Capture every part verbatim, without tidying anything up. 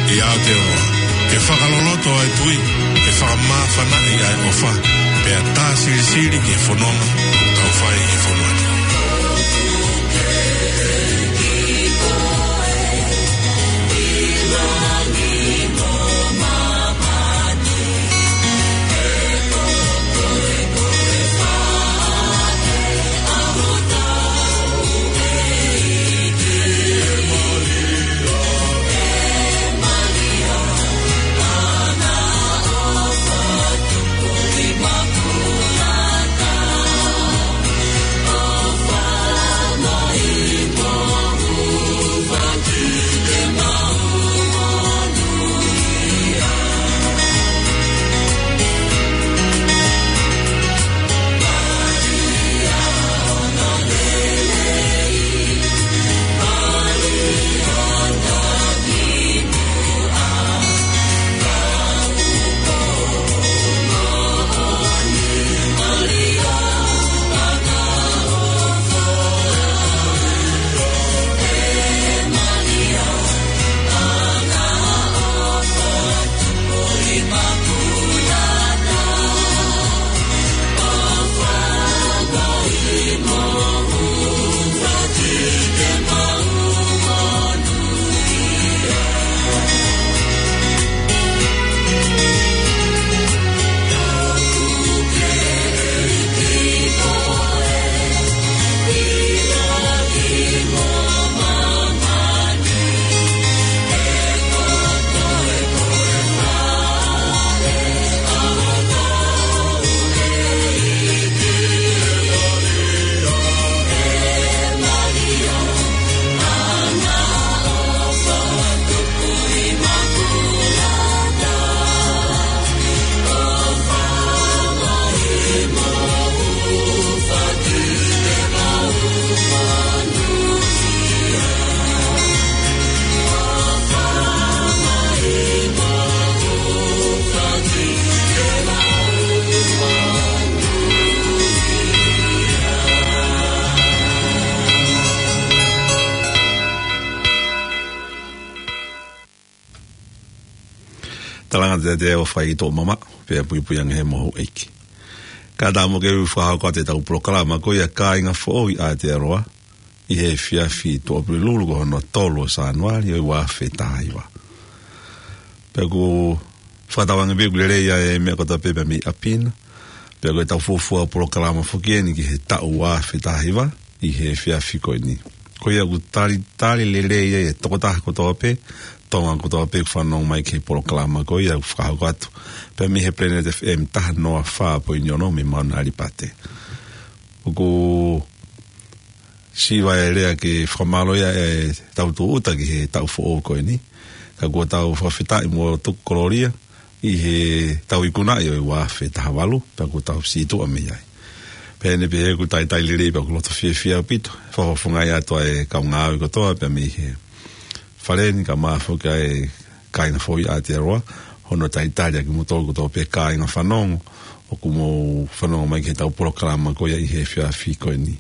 ʻI Aotearoa, ke fakaloloto ʻa e tui, ke fakamāfanaʻi ʻa e ʻofa, pea tā silisili ki he fononga ʻoku tau fai ʻi he fonua ni. Talanga te te o fai to mama, pea puipui ange he mohu ʻEiki. Ka ta mo ke u fakahoko atu ʻetau polokalama ko ia Kāinga Foʻou ʻi Aotearoa, ʻi he efiafi Tuʻapulelulu ko hono tolu ʻo Sānuali ʻo e ua afe taha hiva. Pea ʻoku fakatauange pē ʻoku lelei ʻa e meʻa kotoa pē mei ʻapi na. Pea ko ʻetau fuofua polokalama foki eni ki he taʻu ua afe taha hiva ʻi he efiafi ko eni. Ko ia ʻoku talitali lelei ai e tokotaha kotoa pē, Tonga kotoa pē ʻoku fanongo mai ki he polokalama ko ia ʻoku fakahoko atu pē mei he Planet F M taha noa fā poini ono mei Mauna ʻAlipate. ʻOku siva e lea ke fakamālō ia ʻetau tūʻuta ki he taʻu foʻou ko eni. Ka kuo tau fakafetaʻi mo tuku kolōlia ʻi heʻetau ikunaʻi ʻo e ua afe taha valu, pea kuo tau sītuʻa mei ai. Pea ʻi heʻene pehē ʻoku talitali lelei pea ʻoku loto fiefia ʻaupito. Fakafofongaʻi atu ʻa e kau ngāue kotoa pea mei he fale ni kae ʻumaʻā foki ʻa e Kāinga Foʻou ʻi Aotearoa, hono talitali ʻa kimoutolu kotoa pē kāinga fanongo, ʻoku mou fanongo mai ki heʻetau polokalama ko ia ʻi he efiafi ko eni.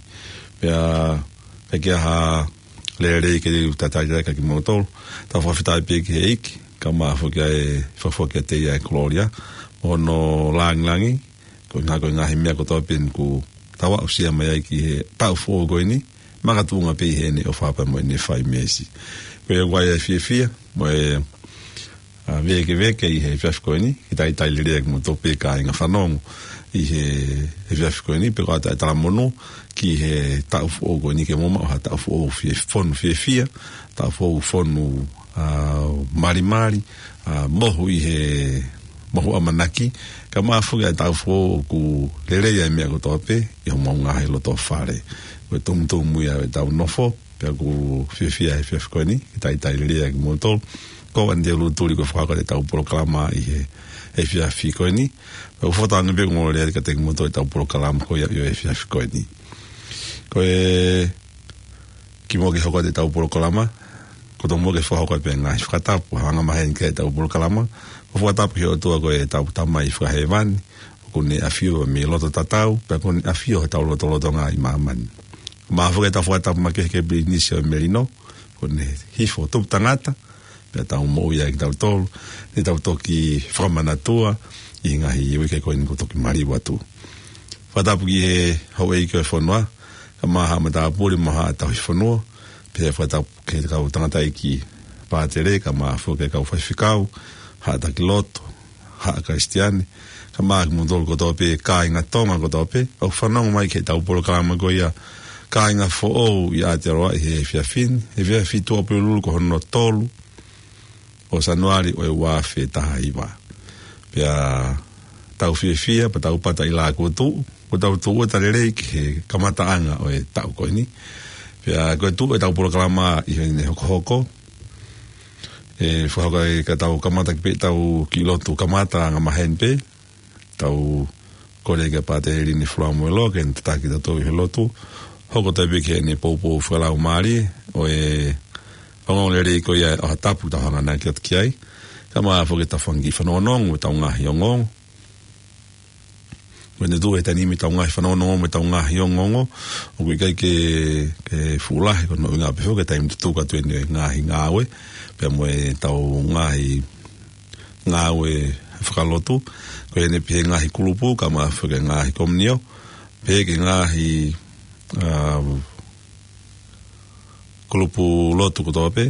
Pea, pea ʻikai ha lelei ke u talitali atu kia kimoutolu, tau fakafetaʻi pē ki he ʻEiki, kae ʻumaʻā foki ʻa e fakafoki ʻa e tei ʻa e kolōlia, mo hono langilangi, ko e ngaahi, ko e ngaahi meʻa kotoa pē eni ʻoku tau aʻusia mai ai ki he taʻu foʻou ko eni, makatuʻunga pē ʻi heʻene ʻofa pea mo ʻene fai meesi. Ko ia ʻoku ʻi ai e fiefia, mo e, ʻa, vēkeveke ʻi he efiafi ko eni, ke talitali lelei ʻa kimoutolu pē kāinga fanongo ʻi he, he efiafi ko eni, pea ko ʻetau talamonū ki he taʻu foʻou ko eni ke mou maʻu ha taʻu foʻou fie, fonu fiefia, taʻu foʻou fonu, ʻa, malimali, ʻa, mohu ʻi he mohu ʻamanaki, kae ʻumaʻā foki ʻa e taʻu foʻou ʻoku lelei ai e meʻa kotoa pē ʻi homou ngaahi loto fale. Ko e tumutumu ia ʻetau nofo, pea ʻoku fiefia he efiafi ko eni, ke talitali lelei ʻa kimoutolu. Ko Anite Ulutuli ko e fakahoko atu ʻetau polokalama ʻi he, he efiafi ko eni. Pea ʻoku fakatauange pē ʻoku ongoongolelei kiate kimoutolu ʻetau polokalama ko ia ʻi he efiafi ko eni. Ko e kimuʻa ke hoko atu ʻetau polokalama, ko e tomuʻa ke fakahoko atu pē ngaahi fakatapu, hanga maheni ki heʻetau polokalama, ko e fakatapu ki he ʻOtua ko ʻetau Tamai Fakahēvani, ʻoku ne ʻafio mei loto tatau, pea ʻoku ne ʻafio heʻetau lotolotonga ʻi māmani. Kae ʻumaʻā foki ʻetau fakatapu makehe ki he Pilinisi ʻo e Melino, ʻoku ne hifo tupu tangata, Pea tau moʻui ai kitautolu, ne tau toki fakamanatua ʻi he ngaahi uike ko eni kuo toki maliu atu. Fakatapu ki he houʻeiki ʻo e fonua, kae ʻumaʻā haʻa matāpule mo haʻa tauhi fonua, pea fakatapu ki he kau tangataʻeiki pātele, kae ʻumaʻā foki e kau faifekau, haʻa taki lotu, haʻa Kalisitiane, kae ʻumaʻā kimoutolu kotoa pē, kāinga Tonga kotoa pē, ʻoku fanongo mai ki heʻetau polokalama ko ia, Kāinga Foʻou ʻi Aotearoa ʻi he efiafi ni, he efiafi Tuʻapulelulu ko hono tolu ʻo Sānuali ʻo e ua afe taha hiva. Pea tau fiefia, pea tau pata ʻi he lākutu, kuo tau tūʻuta lelei ki he kamataʻanga ʻo e taʻu ko eni. Pea ko e tuʻu ʻetau polokalama ʻi heʻene hokohoko, ʻe fakahoko ai ka tau kamata ki pē ʻetau kiʻi lotu kamata angamaheni pē, tau kole kia Pātele Lini Fulamoeloa ke ne tataki kitautolu ʻi he lotu. Hoko atu pē ki heʻene poupou fakalaumālie ʻo e ongoongolelei ko ia ʻo ha tapu tau hanganaki atu ki ai. Kae ʻumaʻā foki ʻetau fanga kiʻi fanongonongo mo ʻetau ngaahi ongoongo. Ko ʻene tuʻu he taimi ni ʻetau ngaahi fanongonongo mo ʻetau ngaahi ongoongo, ʻoku ʻikai ke, ke fuʻu lahi, ko hono ʻuhinga pē foki ko e taimi tutuku atu eni e ngaahi ngāue, pea mo ʻetau ngaahi ngāue fakalotu, ko ʻene pehē ngaahi kulupu, kae ʻumaʻā foki e ngaahi komiunio, pehē ki he ngaahi, ʻa, kulupu lotu kotoa pē,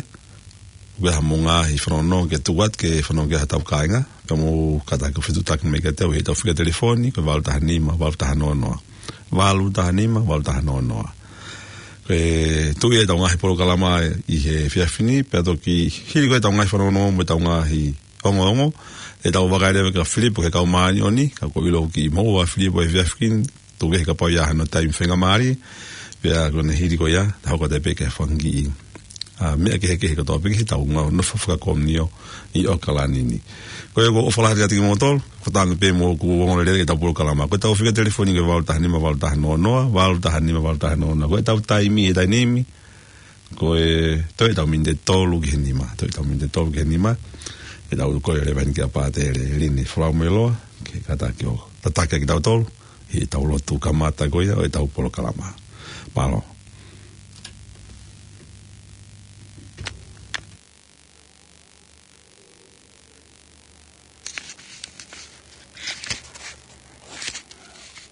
ʻoku ʻi ai haʻamou ngaahi fanongonongo ke tuku atu ke fanongo ki ai haʻatau kāinga, pea mou kātaki ʻo fetuʻutaki mai kiate au ʻi heʻetau fika telefoni, ko e valu taha nima, valu taha noa noa. Valu taha nima, valu taha noa noa. Ko e tuʻu ia ʻetau ngaahi polokalama ʻi he efiafi ni, pea toki hili ko ia ʻetau ngaahi fanongonongo mo ʻetau ngaahi ongoongo, ʻe tau vakai leva kia Filipo ki he kau māʻoniʻoni, ka ʻoku ou ʻilo ʻoku kiʻi moʻua ʻa Filipo he efiafi ni, tuku kehe kapau ʻe ʻi ai hano taimi faingamālie, pea ko ʻene hili ko ia, tau hoko atu pē ki he fanga kiʻi, ʻa, meʻa kehekehe kotoa pē ki heʻetau ngāue nofo fakakomiunio ʻi ʻAokalani ni. Ko ia ʻoku ou ʻofa lahi atu kiate kimoutolu, fakatauange pē mo ʻeku ongoongolelei ki heʻetau polokalama. Ko ʻetau fika telefoni ko e valu taha nima, valu taha noa noa, valu taha nima, valu taha noa noa. Ko ʻetau taimi he taimi ni, ko e toe ʻetau miniti ʻe tolu ki he nima, toe ʻetau miniti ʻe tolu ki he nima, ʻe tau kole leva eni kia Pātele Lini Fulamoeloa, ke kātaki ʻo tataki kitautolu ʻi heʻetau lotu kamata ko ia ʻo ʻetau polokalama. Mālō.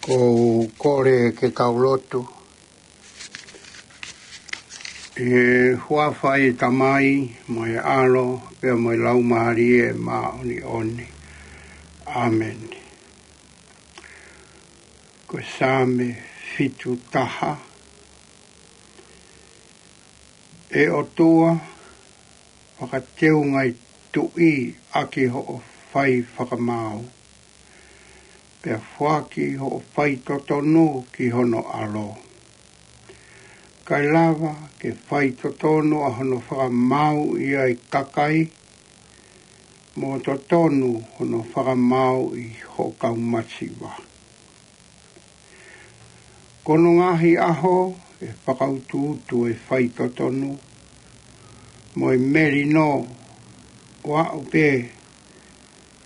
Ko u kole ke tau lotu. ʻI he huafa ʻo e Tamai, mo e ʻAlo, pea mo e Laumālie Māʻoniʻoni. ʻĀmeni. Ko e Saame fitu taha. ʻE ʻOtua, fakateunga ʻi tuʻi ʻaki hoʻo fai fakamaau, pea foaki hoʻo faitotonu ki hono ʻAlo. Kae lava ke faitotonu ʻa hono fakamaauʻi ʻa e kakai, mo totonu hono fakamaauʻi hoʻo kau masiva. Ko hono ngaahi ʻaho ʻe fakautuutu e faitotonu, mo e melino ʻo aʻu pē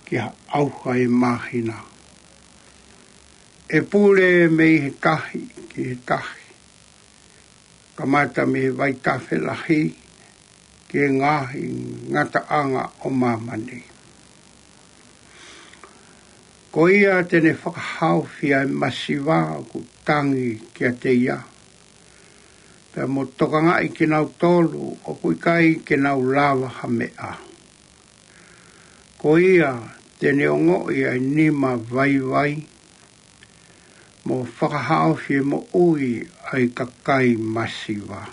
ki ha ʻauha ʻe māhina. ʻE pule mei he tahi ki he tahi, kamata mei he vaitafe lahi ki he ngaahi ngataʻanga ʻo māmani. Ko ia te ne fakahaofi ʻa e masiva ʻoku tangi kiate ia, pea mo tokangaʻi kinautolu ʻoku ʻikai ke nau lava ha meʻa. Ko ia te ne ongoʻi ʻa e nima vaivai, mo fakahaofi e moʻui ʻa e kakai masiva.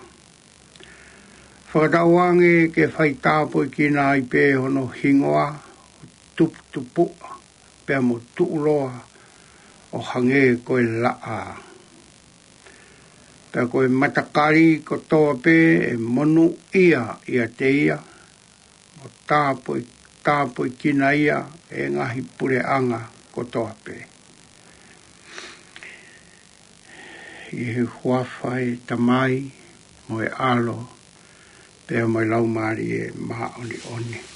Fakatauange ke faitāpuekina ai pē hono hingoa, tuputupuʻa, pea mo tuʻuloa ʻo hangē ko e laʻā. Pea ko e matakali kotoa pē ʻe monūʻia ʻiate ia, mo tāpue, tāpuekina ia ʻe he ngaahi puleʻanga kotoa pē. ʻI he huafa ʻo e Tamai, mo e ʻAlo, pea mo e Laumālie Māʻoniʻoni.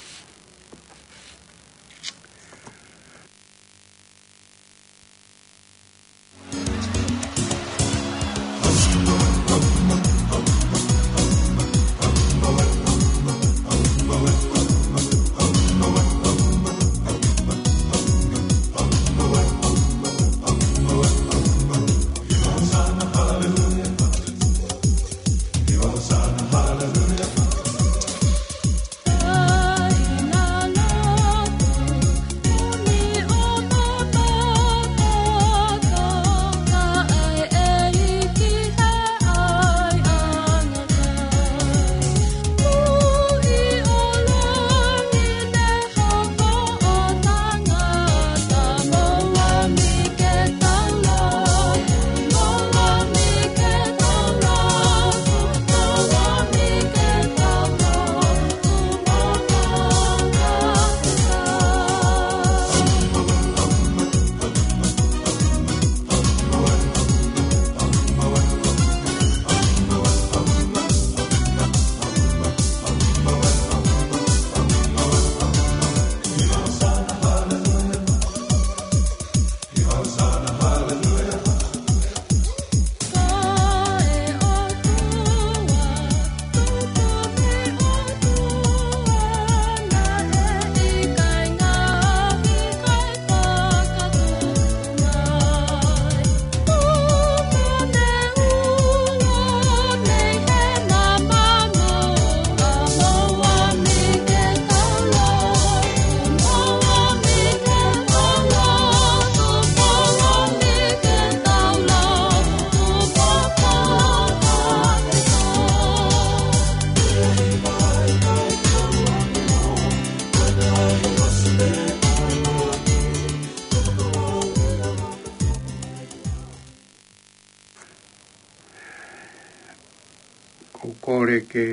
Kole ke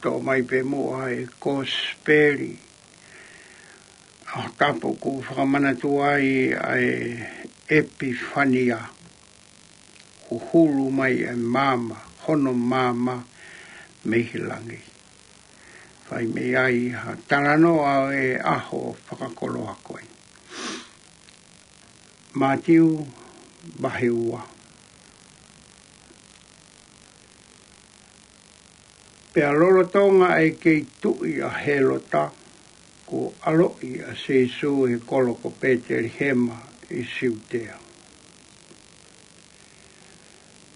toʻo mai pē muʻa e Kosipeli ʻa Tapu ʻoku fakamanatu ai ʻa e ʻEpifania, huhulu mai e maama, hono maama mei he langi. Fai mei ai ha talanoa ʻo e ʻaho fakakoloa ko ē. Mātiu vahe ua. Pea lolotonga ʻa e kei tuʻi ʻa Hēlota, kuo ʻaloʻi ʻa Sīsū he kolo ko Pētelihema ʻi Siutea.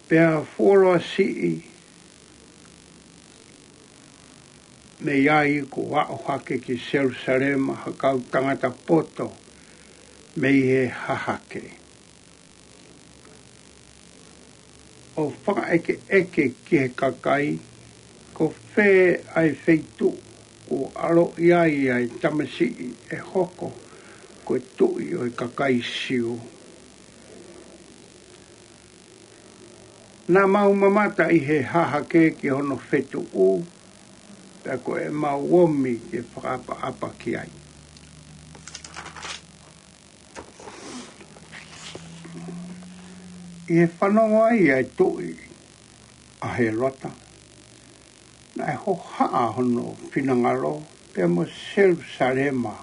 Pea fuoloa siʻi mei ai kuo aʻu hake ki Selusalema ha kau tangata poto mei he hahake, ʻo fakaʻekeʻeke ki he kakai, ko fē ʻa e feituʻu kuo ʻaloʻi ai ʻa e tamasiʻi ʻe hoko ko e tuʻi ʻo e kakai Siu. Naʻa mau mamata ʻi he hahake ki hono fetuʻu, pea ko ʻemau omi ke fakaʻapaʻapa ki ai. ʻI he fanongo ai ʻa e tuʻi ʻa Hēlota, naʻe hohaʻa hono finangalo, pea mo Selusalema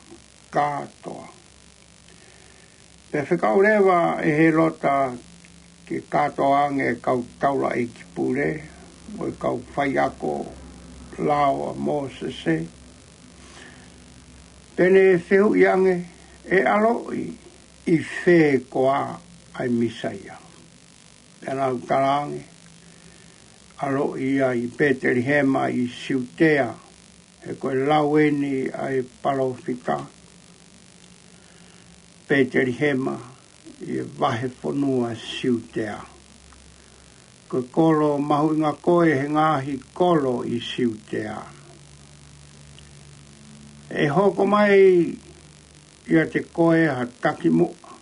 kātoa. Pea fekau leva ʻe Hēlota ke kātoa ange e kau taulaʻeiki pule, mo e kau faiako lao ʻa Mōsese, pea ne fehuʻi ange, ʻe ʻaloʻi ʻi fē koā ʻa e Mīsaia? Pea nau talaange, ʻaloʻi ia ʻi Pētelihema ʻi Siutea, he ko e lau eni ʻa e palōfita, Pētelihema, ʻi he vahefonua Siutea, ko e kolo mahuʻinga koe he ngaahi kolo ʻi Siutea. ʻE hoko mai ʻiate koe ha takimuʻa,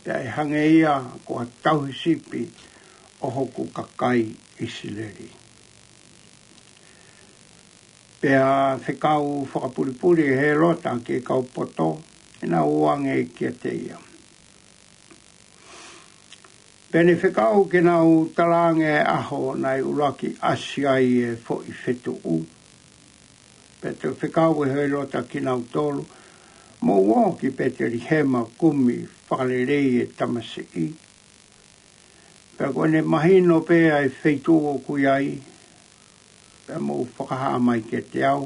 pea ʻe hangē ia ko ha tauhi sipi ʻo hoku kakai ʻIsileli. Pea fekau fakapulipuli ʻe Hēlota ki he kau poto, ke nau ō ange kiate ia. Pea ne fekau ke nau talaange e ʻaho naʻe ʻuluaki ʻasi ai e foʻi fetuʻu. Pea toe fekau ʻe Hēlota kinautolu, mou ō ki Pētelihema kumi fakalelei e tamasiʻi. Pea ko ʻene mahino pē ʻa e feituʻu ʻoku ʻi ai, pea mou fakahā mai kiate au,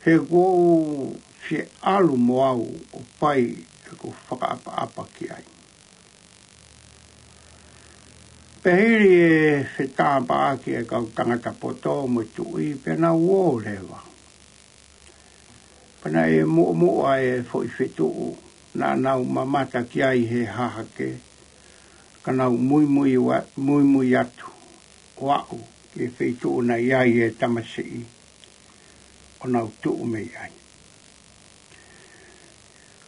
he kuo u fie ʻalu mo au ʻo fai ʻeku fakaʻapaʻapa ki ai. Pea hili e fetāpaʻaki e kau tangata poto mo e tuʻi, pea nau ō leva. Pea naʻe muʻomuʻa e foʻi fetuʻu naʻa nau mamata ki ai he hahake, ka nau muimui ua-, muimui atu ʻo aʻu ki he feituʻu naʻe ʻi ai e tamasiʻi, ʻo nau tuʻu mei ai.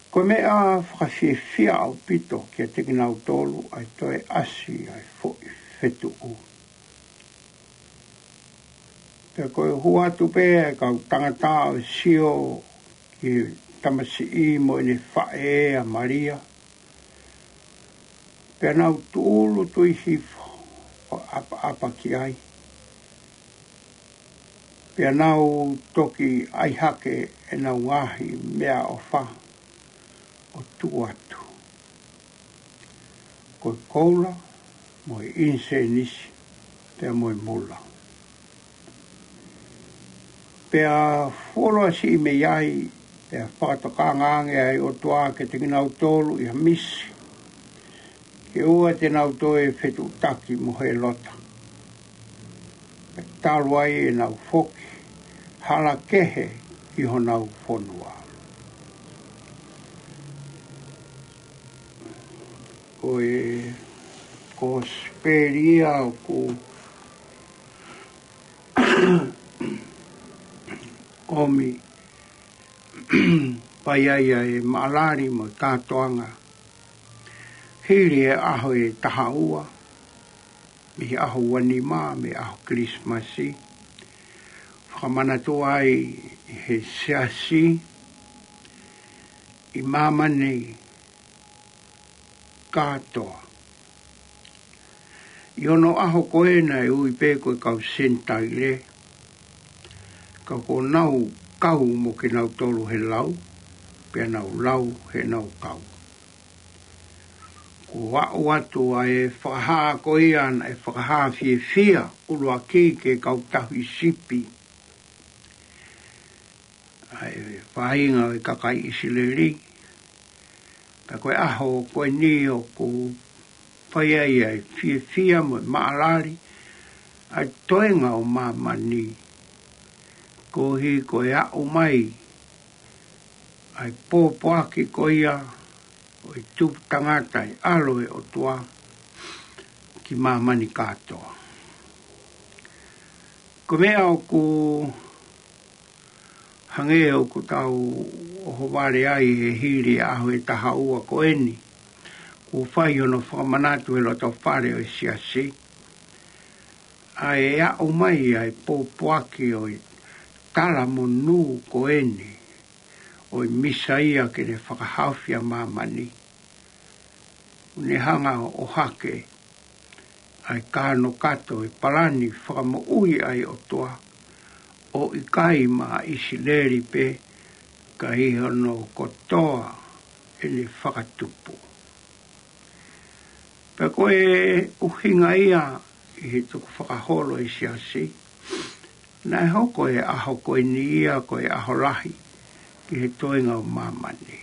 Ko e meʻa fakafiefia ʻaupito kiate kinautolu ʻa e toe ʻasi ʻa e foʻi fetuʻu. Pea ko e hū atu pē ʻa e kau tangata ʻo sio ki he tamasiʻi mo ʻene faʻē ʻa Malia, pea nau tūʻulutui hifo ʻo ʻapaʻapa ki ai. Pea nau toki ʻai hake ʻenau ngaahi meʻaʻofa ʻo tuku atu, ko e koula, mo e ʻinisēnisi, pea mo e mula. Pea fuoloa siʻi mei ai, pea fakatokanga ange ʻa e ʻOtua kiate kinautolu ʻi ha misi, ke ʻoua te nau toe fetuʻutaki mo Hēlota, pea talu ai ʻenau foki hala kehe ki honau fonua. Ko e Kosipeli ia ʻoku ʻomi pē ia ʻa e maʻalali mo e kātoanga hili e ʻaho ʻe taha ua. mei he ʻaho ua nima, mei he ʻaho Kilisimasi, fakamanatu ai ʻe he Siasi ʻi māmani kātoa. ʻI hono ʻaho ko ē naʻe ui pē ko e kau Senitaile, ka kuo nau kau mo kinautolu he lau, pea nau lau heʻenau kau. Kuo aʻu atu ʻa e fakahā ko ia naʻe fakahā fiefia ʻuluaki ki he kau tauhi sipi, ʻa e faʻahinga ʻo e kakai ʻIsileli. Pea ko e ʻaho ko eni ʻoku fai ai ʻa e fiefia mo e maʻalali ʻa e toenga ʻo māmani, koeʻuhi ko e aʻu mai ʻa e pōpoaki ko ia ʻo e tupu tangata ʻi he ʻAlo ʻo e ʻOtua ki māmani kātoa. Ko e meʻa ʻoku hangē ʻoku tau ʻohovale ai he hili ʻaho ʻe taha ua ko eni, kuo fai hono fakamanatu he loto fale ʻo e Siasi ʻa e aʻu mai ʻa e pōpoaki ʻo e talamonū ko eni ʻo e Mīsaia ke ne fakahaofi ʻa māmani. ʻOku ne hanga ʻo ʻohake ʻa e kanokato ʻo e palani fakamoʻui ʻa e ʻOtua, ʻo ʻikai maʻa ʻIsileli pē, ka ʻi hono kotoa ʻene fakatupu. Pea ko e ʻuhinga ia ʻi he tukufakaholo ʻa e Siasi, naʻe hoko e ʻaho ko eni ia ko e ʻaho lahi ki he toenga ʻo māmani.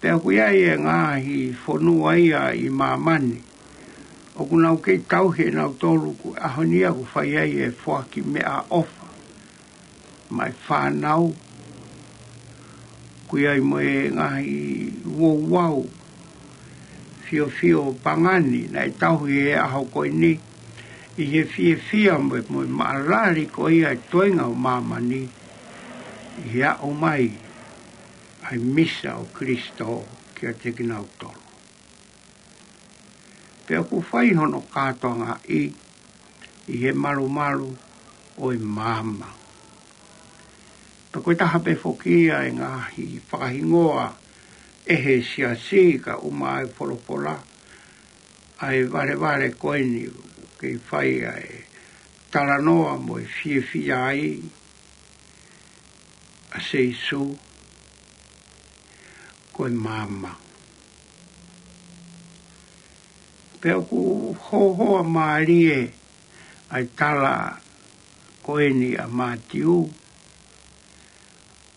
Pea ʻoku ʻi ai e ngaahi fonua ia ʻi māmani ʻoku nau kei tauhi ʻe nautolu ko e ʻaho ni ia ʻoku fai ai e foaki meʻaʻofa maʻa e fānau. ʻOku ʻi ai mo e ngaahi ouau fiofio pangani naʻe tauhi he ʻaho ko eni, ʻi he fiefia mo e, mo e maʻalali ko ia e toenga ʻo māmani ʻi he aʻu mai ʻa e Misa ʻo Kalaisi kiate kinautolu. Pea ʻoku fai hono kātoangaʻi ʻi he malumalu ʻo e maama. Pea ko e taha pē foki ia e ngaahi fakahingoa ʻe he Siasi, ka ʻoku ʻomai ʻe he folofola ʻa e valevale ko eni ke fai ʻa e talanoa mo e fiefia ai ʻa Sīsū, ko e maama. Pea ʻoku hohoa mālie ʻa e tala ko eni ʻa Mātiu,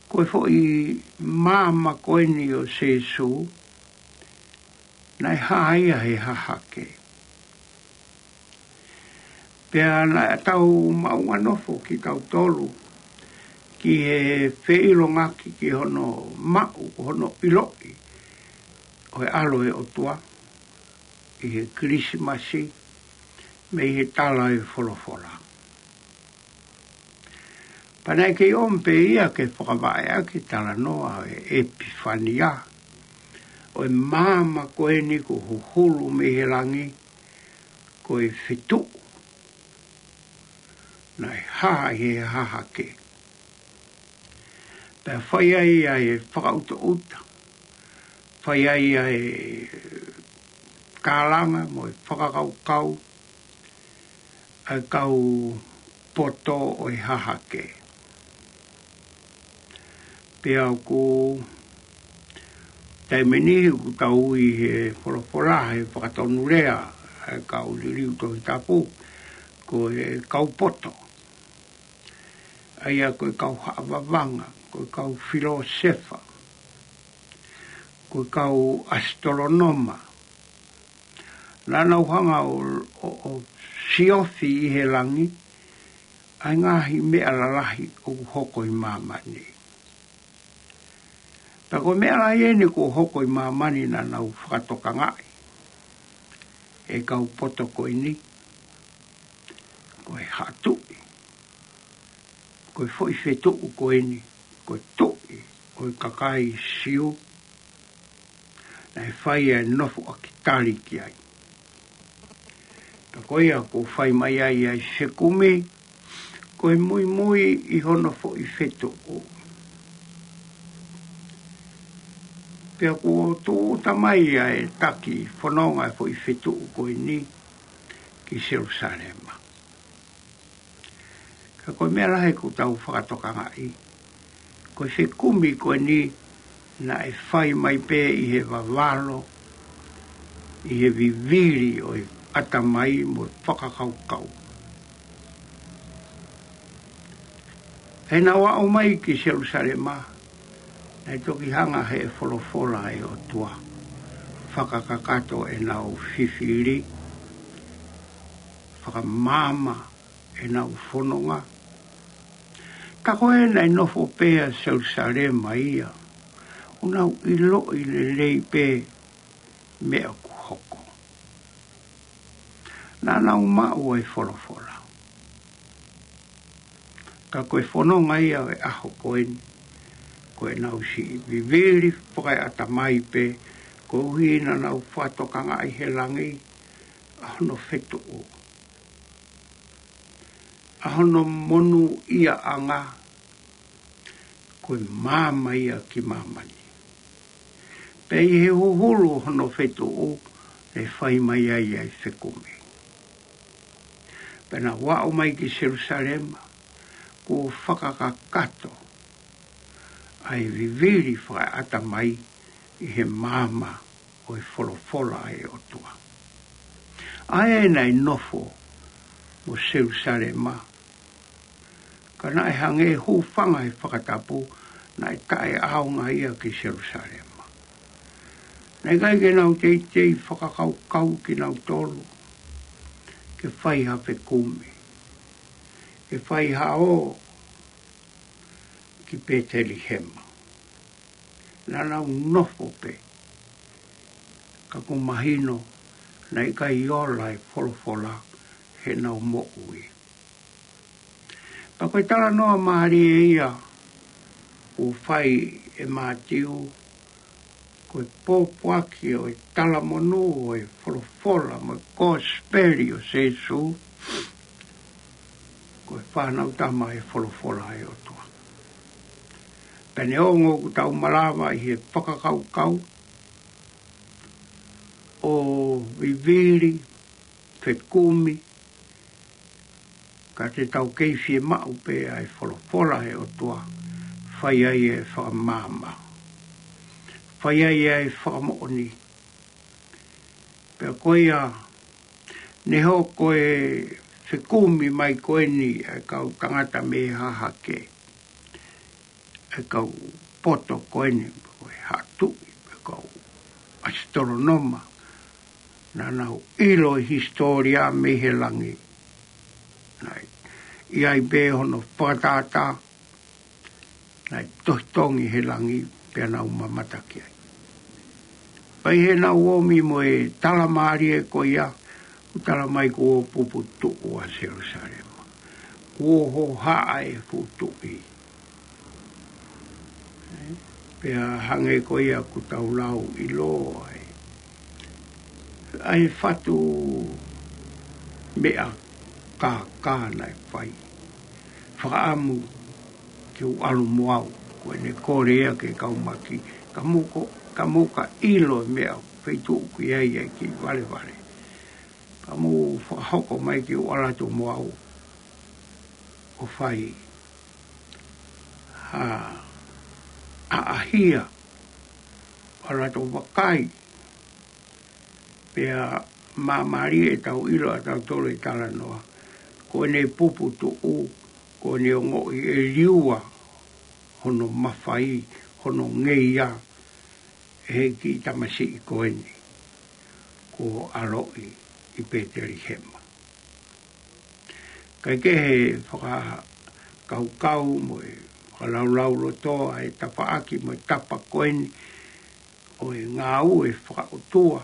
ko e foʻi maama ko eni ʻo Sīsū, naʻe hā ia he hahake. Pea naʻa tau maʻu nofo kitautolu ki he feʻilongaki ki hono maʻu, hono ʻiloʻi ʻo e ʻAlo ʻo e ʻOtua ʻi he Kilisimasi mei he tala ʻo e folofola. Pea naʻe kei ʻomi pē ia ke fakavaʻe ʻaki e talanoa ʻo e ʻEpifania, ʻo e maama ko eni kuo huhulu mei he langi, ko e fetuʻu naʻe hā he hahake. Pea fai ai ʻa e fakaʻutaʻuta, fai ai ʻa e kalanga mo e fakakaukau ʻa e kau poto ʻo e hahake. Pea ʻoku taimi ni ʻoku tau ui he folofola, he fakatonulea ʻa e kau liliu Tohi Tapu, ko e kau poto. ʻA ia ko e kau haʻavavanga, ko e kau filōsefa, ko e kau ʻasitolonoma. Naʻa nau hanga ʻo, ʻo, ʻo siofi ʻi he langi ʻa e ngaahi meʻa lalahi ʻoku hoko ʻi māmani. Pea ko e meʻa lahi eni kuo hoko ʻi māmani naʻa nau fakatokangaʻi ʻe he kau poto ko eni, ko e haʻa tuʻi, ko e foʻi fetuʻu ko eni, ko e tuʻi ʻo e kakai Siu, naʻe fai ʻa e nofoʻaki tali ki ai. Ko ia kuo fai mai ai ʻa e fekumi, ko e muimui ʻi hono foʻi fetuʻu. Pea kuo tūʻuta mai ʻa e taki fononga ʻa e foʻi fetuʻu ko eni ki Selusalema. Ka ko e meʻa lahi ʻoku tau fakatokangaʻi, ko e fekumi ko eni naʻe fai mai pē ʻi he vavalo, ʻi he vivili ʻo e ʻatamai mo e fakakaukau. He naʻa nau aʻu mai ki Selusalema, naʻe toki hanga ʻe he folofola ʻa e ʻOtua ʻo fakakakato ʻenau fifili, fakamaama ʻenau fononga. Ka ko ē naʻe nofo pē ʻa Selusalema ia, ʻoku nau ʻiloʻi lelei pē meʻa ʻoku hoko. Naʻa nau maʻu ʻa e folofola. Ka ko e fononga ia ʻo e ʻaho ko eni, ko ʻenau siʻi vivili fakaeʻatamai pē, koeʻuhi naʻa nau fakatokangaʻi he langi ʻa hono fetuʻu, ʻa hono monūʻiaʻanga, ko e maama ia ki māmani. Pea ʻi he huhulu hono fetuʻu, ʻe fai mai ai ʻa e fekumi. Pea naʻa nau aʻu mai ki Selusalema, kuo fakakakato ʻa e vivili fakaeʻatamai ʻi he maama ʻo e folofola ʻa e ʻOtua. ʻA ē naʻe nofo mo Selusalema, ka naʻe hangē hūfanga he fakatapu, naʻe taʻeʻaonga ia ki Selusalema. Naʻe ʻikai ke nau teitei fakakaukau kinautolu ke fai ha fekumi, ke fai ha ō ki Pētelihema. Naʻa nau nofo pē, ka ʻoku mahino naʻe ʻikai ola e folofola heʻenau moʻui. Pea ko e talanoa mālie ia ʻoku fai ʻe Mātiu, ko e pōpoaki ʻo e talamonū ʻo e folofola mo e kosipeli ʻo Sīsū, ko e fānau tama ʻo e folofola ʻa e ʻOtua. Pea neongo ʻoku tau malava ʻi he fakakaukau ʻo vivili, fekumi, ka te tau kei fiemaʻu pē ʻa e folofola ʻa e ʻOtua, fai ai e fakamaama, fai ai e fakamoʻoni. Pea ko ia, neongo ko e fekumi mai ko eni ʻa e kau tangata mei Hahake, ʻa e kau poto ko eni, ko e Haʻa Tuʻi, ʻa e kau ʻasitolonoma, naʻa nau ʻilo e hisitōlia mei he langi. Naʻe ʻi ai pē hono fakatātā, naʻe tohitongi he langi pea nau mamata ki ai. Pea ʻi heʻenau omi mo e tala mālie ko ia, ʻoku tala mai kuo puputuʻu ʻa Selusalema. Kuo hohaʻa e fuʻu tuʻi. Pea hangē ko ia ʻoku tau lau ʻiloa ai, ʻa e fatu meʻa kākā naʻe fai. Fakaʻamu ke u ʻalu mo au, ko ʻene kole ia ki he kau maki, ka mou ko, ka mou ka ʻilo e meʻa feituʻu ʻoku ʻi ai ʻa e kiʻi valevale. Ka mou fakahoko mai ke u ʻalu atu mo au ʻo fai ha ʻaʻahia, ʻalu atu ʻo vakai. Pea māmālie ʻetau ʻilo ʻa tautolu e talanoa. Ko ʻene puputuʻu, ko ʻene ongoʻi ʻe liua hono mafai, hono ngeia, ʻe he kiʻi tamasiʻi ko eni kuo ʻaloʻi ʻi Pētelihema. Kae kehe, fakakaukau mo e fakalaulauloto ʻa e tafaʻaki mo e tapa ko eni ʻo e ngāue fakaʻotua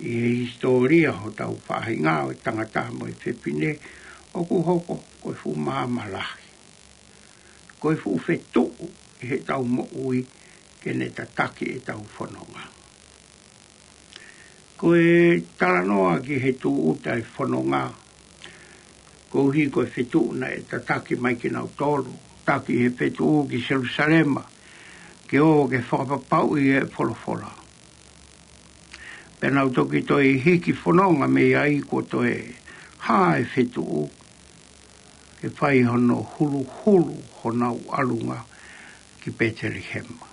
ʻi he hisitōlia hotau faʻahinga ʻo e tangata mo e fefine, ʻoku hoko ko e fuʻu maama lahi. Ko e fuʻu fetuʻu ʻi heʻetau moʻui ke ne tataki ʻetau fononga. Ko e talanoa ki he tūʻuta e fononga, koeʻuhi ko e fetuʻu naʻe tataki mai kinautolu, taki he fetuʻu ki Selusalema, ke ō ke fakapapauʻi e folofola. Pea nau toki toe hiki fononga mei ai kuo toe hā e fetuʻu, ke fai hono huluhulu honau ʻalunga ki Petelihema.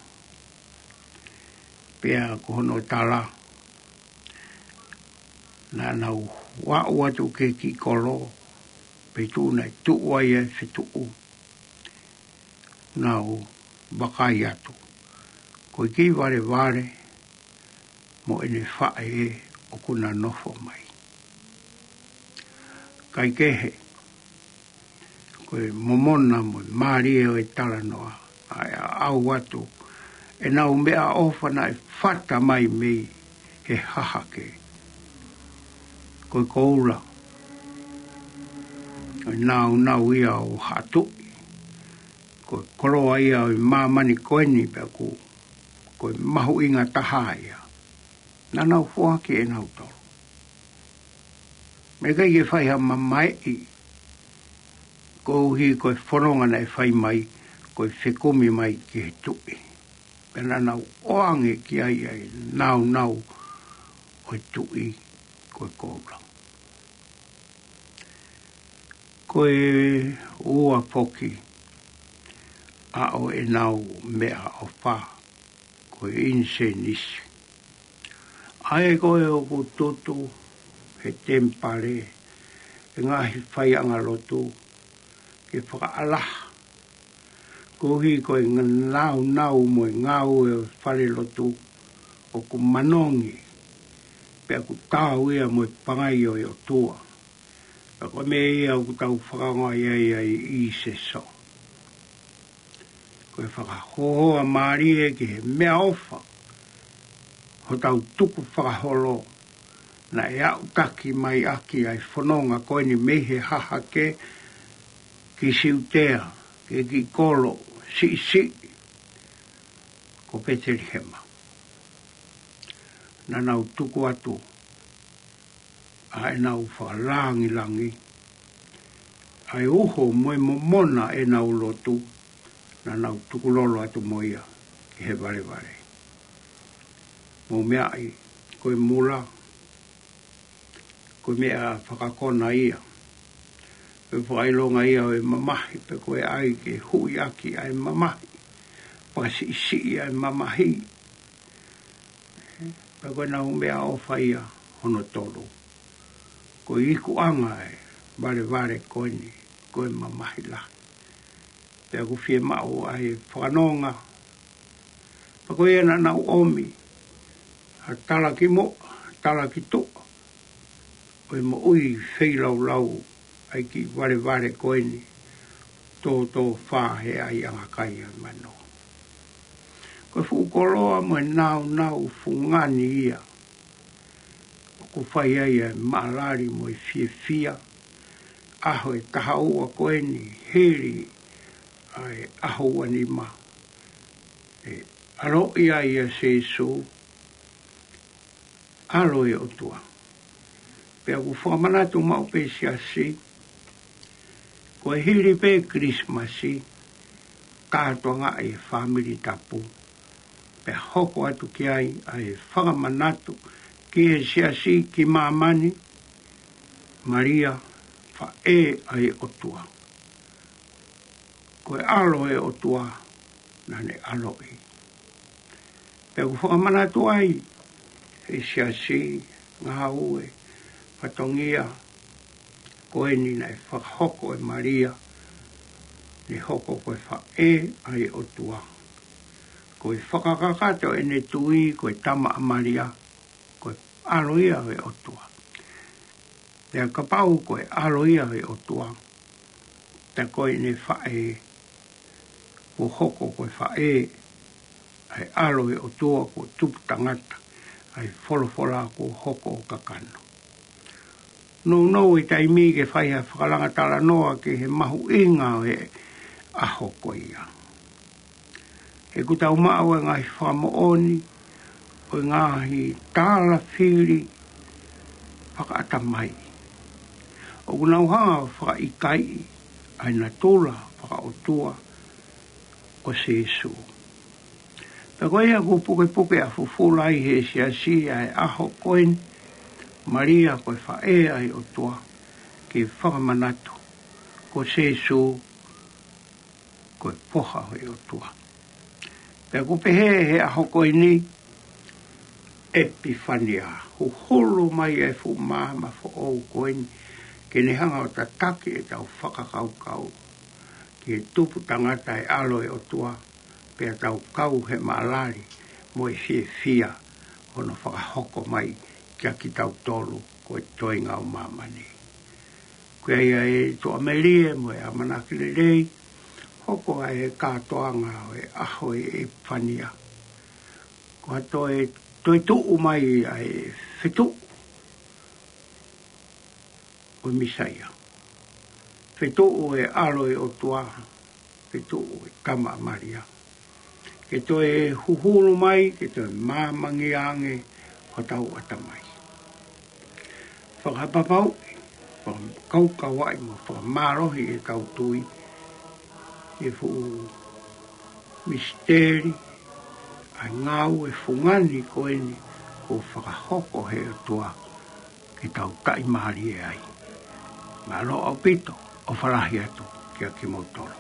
Pea ko hono tala, naʻa nau aʻu atu ki he kiʻi kolo, pe tuʻu naʻe tuʻu ai e fetuʻu, nau vakai atu, ko e kiʻi valevale mo ʻene faʻē ʻokú na nofo mai. Kaikehe, ko e momona mo e mālie ʻo e talanoa, ʻa e aʻu atu ʻenau meʻaʻofa naʻe fata mai mei he hahake. Ko e koula, ko e nāunau ia ʻo Haʻa Tuʻi, ko e koloa ia ʻo e māmani ko eni pea ʻoku, ko e mahuʻinga taha ia. Naʻa nau foaki ʻe nautolu. Meʻa ʻikai ke fai ha mamaeʻi, koeʻuhi ko e fononga naʻe fai mai, ko e fekumi mai ki he tuʻi. Pea naʻa nau ʻoange ki ai ʻa e nāunau ʻo e tuʻi, ko e koula. Ko e ua foki ʻa ʻenau meʻaʻofa, ko e ʻinisēnisi. ʻA ē ko ē ʻoku tutu he temipale, he ngaahi faiʻanga lotu, ke fakaʻalaha, koeʻuhi ko e nāunau mo e ngāue ʻo e falelotu ʻoku manongi, pea ʻoku taau ia mo e pangai ʻo e ʻOtua. Pea ko e meʻa ia ʻoku tau fakaongoʻi ai ʻa e ʻīsese. Ko e fakahōhōʻa mālie ki he meʻaʻofa, hotau tukufakaholo, naʻe aʻutaki mai ʻaki ʻa e fononga ko eni mei he hahake ki Siutea, ki he kiʻi kolo siʻisiʻi ko Petelihema. Naʻa nau tuku atu ʻa ʻenau fakalāngilangi, ʻa e uho mo e momona ʻenau lotu, naʻa nau tukulolo atu mo ia ki he valevale. Mou meaʻi, ko e mula, ko e meʻa fakakona ia. Ko e fakaʻilonga ia ʻo e mamahi, pe ko e ʻai ke huʻi ʻaki ʻa e mamahi, fakasiʻisiʻi ʻa e mamahi. Pea ko ʻenau meʻaʻofa ia hono tolu, ko e ikuʻanga e valevale ko eni, ko e mamahi lahi. Pea ʻoku fiemaʻu ʻa e fakanonga. Pea ko ia naʻa nau ʻomi ha talaki moʻa, ha talaki tuʻa ʻo e moʻui feilaulau ʻa e kiʻi valevale ko eni, tōtōfā he ʻaiʻanga kai ʻa e mano. Ko e fuʻu koloa mo e nāunau fungani ia ʻoku fai ai ʻa e maʻalali mo e fiefia, ʻaho ʻe taha ua ko eni hili ʻa e ʻaho ua nima, ʻe ʻaloʻi ai ʻa Sīsū, ʻAlo ʻo e ʻOtua. Pea ʻoku fakamanatu maʻu pē ʻe he siasi, ko e hili pē Kilisimasi, kātoanga ʻa e fāmili tapu, pea hoko atu ki ai ʻa e fakamanatu ki he siasi ki māmani, Malia, faʻē ʻa e ʻOtua. Ko e ʻAlo ʻo e ʻOtua naʻa ne ʻaloʻi. Pea ʻoku fakamanatu ai ʻe he siasi, ngāue, fatongia, ko eni naʻe fakahoko ʻe Malia, ne hoko ko e faʻē ʻa e ʻOtua. Ko e fakakakato ʻene tui ko e tama ʻa Malia, ko e ʻAlo ia ʻo e ʻOtua. Pea kapau ko e ʻAlo ia ʻo e ʻOtua, pea ko ʻene faʻē, kuo hoko ko e faʻē ʻa e ʻAlo ʻo e ʻOtua kuo tupu tangata, ʻa e folofola kuo hoko ʻo kakano. Nounou e taimi ke fai ha fakalanga talanoa ki he mahuʻinga ʻo e ʻaho ko ia. He ʻoku tau maʻu e ngaahi fakamoʻoni ko e ngaahi tālafili fakaʻatamai. ʻOku nau hanga ʻo fakaʻikaiʻi ʻa e natula fakaʻotua ʻo Sīsū. Pea ko ia ʻoku pukepuke ʻa fufula ai he siasi ʻa e ʻaho ko eni, Malia ko e faʻē ʻa e ʻOtua, ke fakamanatu ko Sīsū ko e foha ʻo e ʻOtua. Pea ʻoku pehē he ʻaho ko eni, ʻEpifania, huhulu mai e fuʻu maama foʻou ko eni, ke ne hanga ʻo tataki ʻetau fakakaukau ki he tupu tangata e ʻAlo e ʻOtua, pea tau kau he maʻalali mo e fiefia hono fakahoko mai kia kitautolu ko e toenga ʻo māmani. Ko ia e tuʻamelie mo e ʻamanaki lelei, hoko ʻa e kātoanga ʻo e ʻaho e Epifania. Ko ha toe, toe tuʻu mai ʻa e fetuʻu ʻo e Mīsaia. Fetuʻu e ʻAlo e ʻOtua, fetuʻu e Tama ʻa Malia. Ke toe huhulu mai, ke toe māmangia ange hotau ʻatamai. Fakapapauʻi, fakakaukauʻi mo fakamālohi ʻetau tui, he fuʻu misiteli, ʻa e ngāue fungani ko eni, ʻoku fakahoko he ʻOtua, ke tau taʻimālie ai. Mālō ʻaupito, ʻofa lahi atu kia kimoutolu.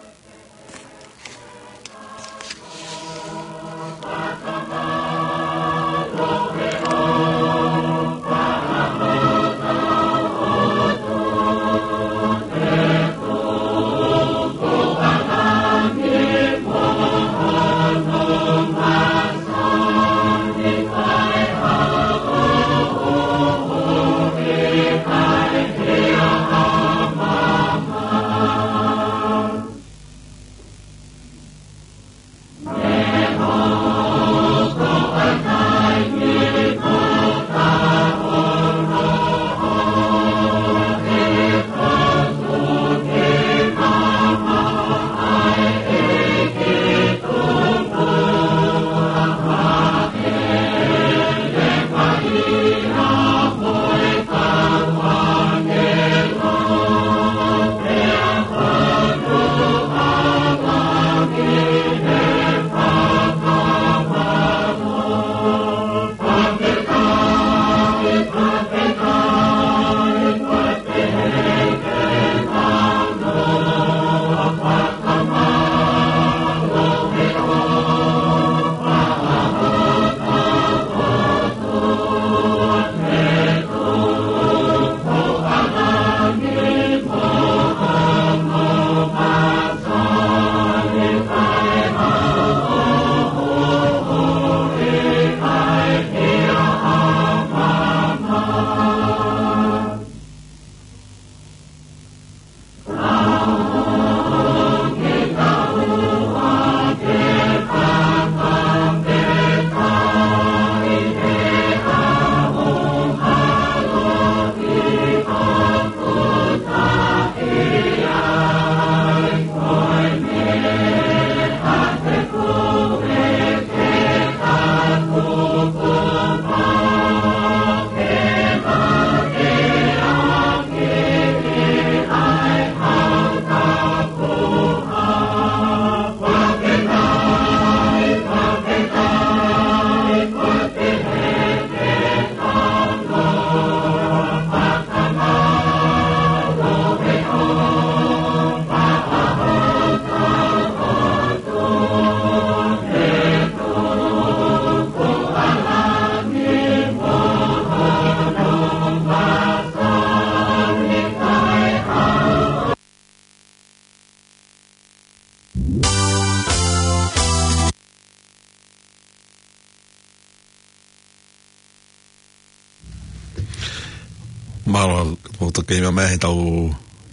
Mālō, ʻoku tau kei meʻa mai he tau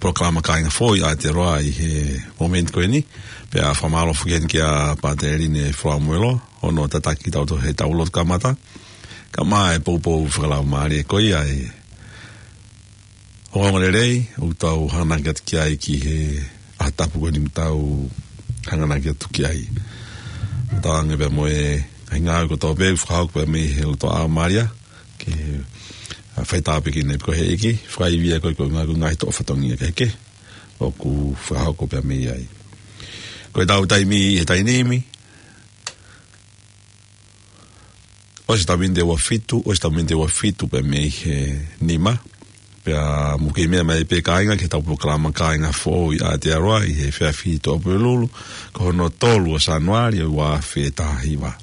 polokalama Kāinga Foʻou ʻa Aotearoa ʻi he momeniti ko eni. Pea fakamālō foki heni kia Pātele Line Folamuelo, hono tataki kitautolu he tau lotu kamata. Kae ʻumaʻā e poupou fakalaumālie ko ia ʻe ongoongo lelei, ʻoku tau hanganaki atu ki ai ki he ʻaho tapu ko eni ʻoku tau hanganaki atu ki ai. Tau ʻange pē mo e Ngaahi ngāue kotoa pē, fakahoko pē mei he loto ʻa Malia, ke, ʻa, fai tāpuekina pē ko e ʻEiki, fakaivia ko e ko e ngaahi, ko e ngaahi toʻo fatongia kehekehe ʻoku fakahoko pē mei ai. Ko ʻetau taimi he taimi ni, ʻosi ʻetau miniti ʻe ua fitu, ʻosi ʻetau miniti ʻe ua fitu pē mei he nima. Pea mou kei meʻa mai pē kāinga ki heʻetau polokalama Kāinga Foʻou ʻi Aotearoa ʻi he efiafi Tuʻapulelulu, ko hono tolu ʻo Sānuali ʻo e ua afe taha hiva.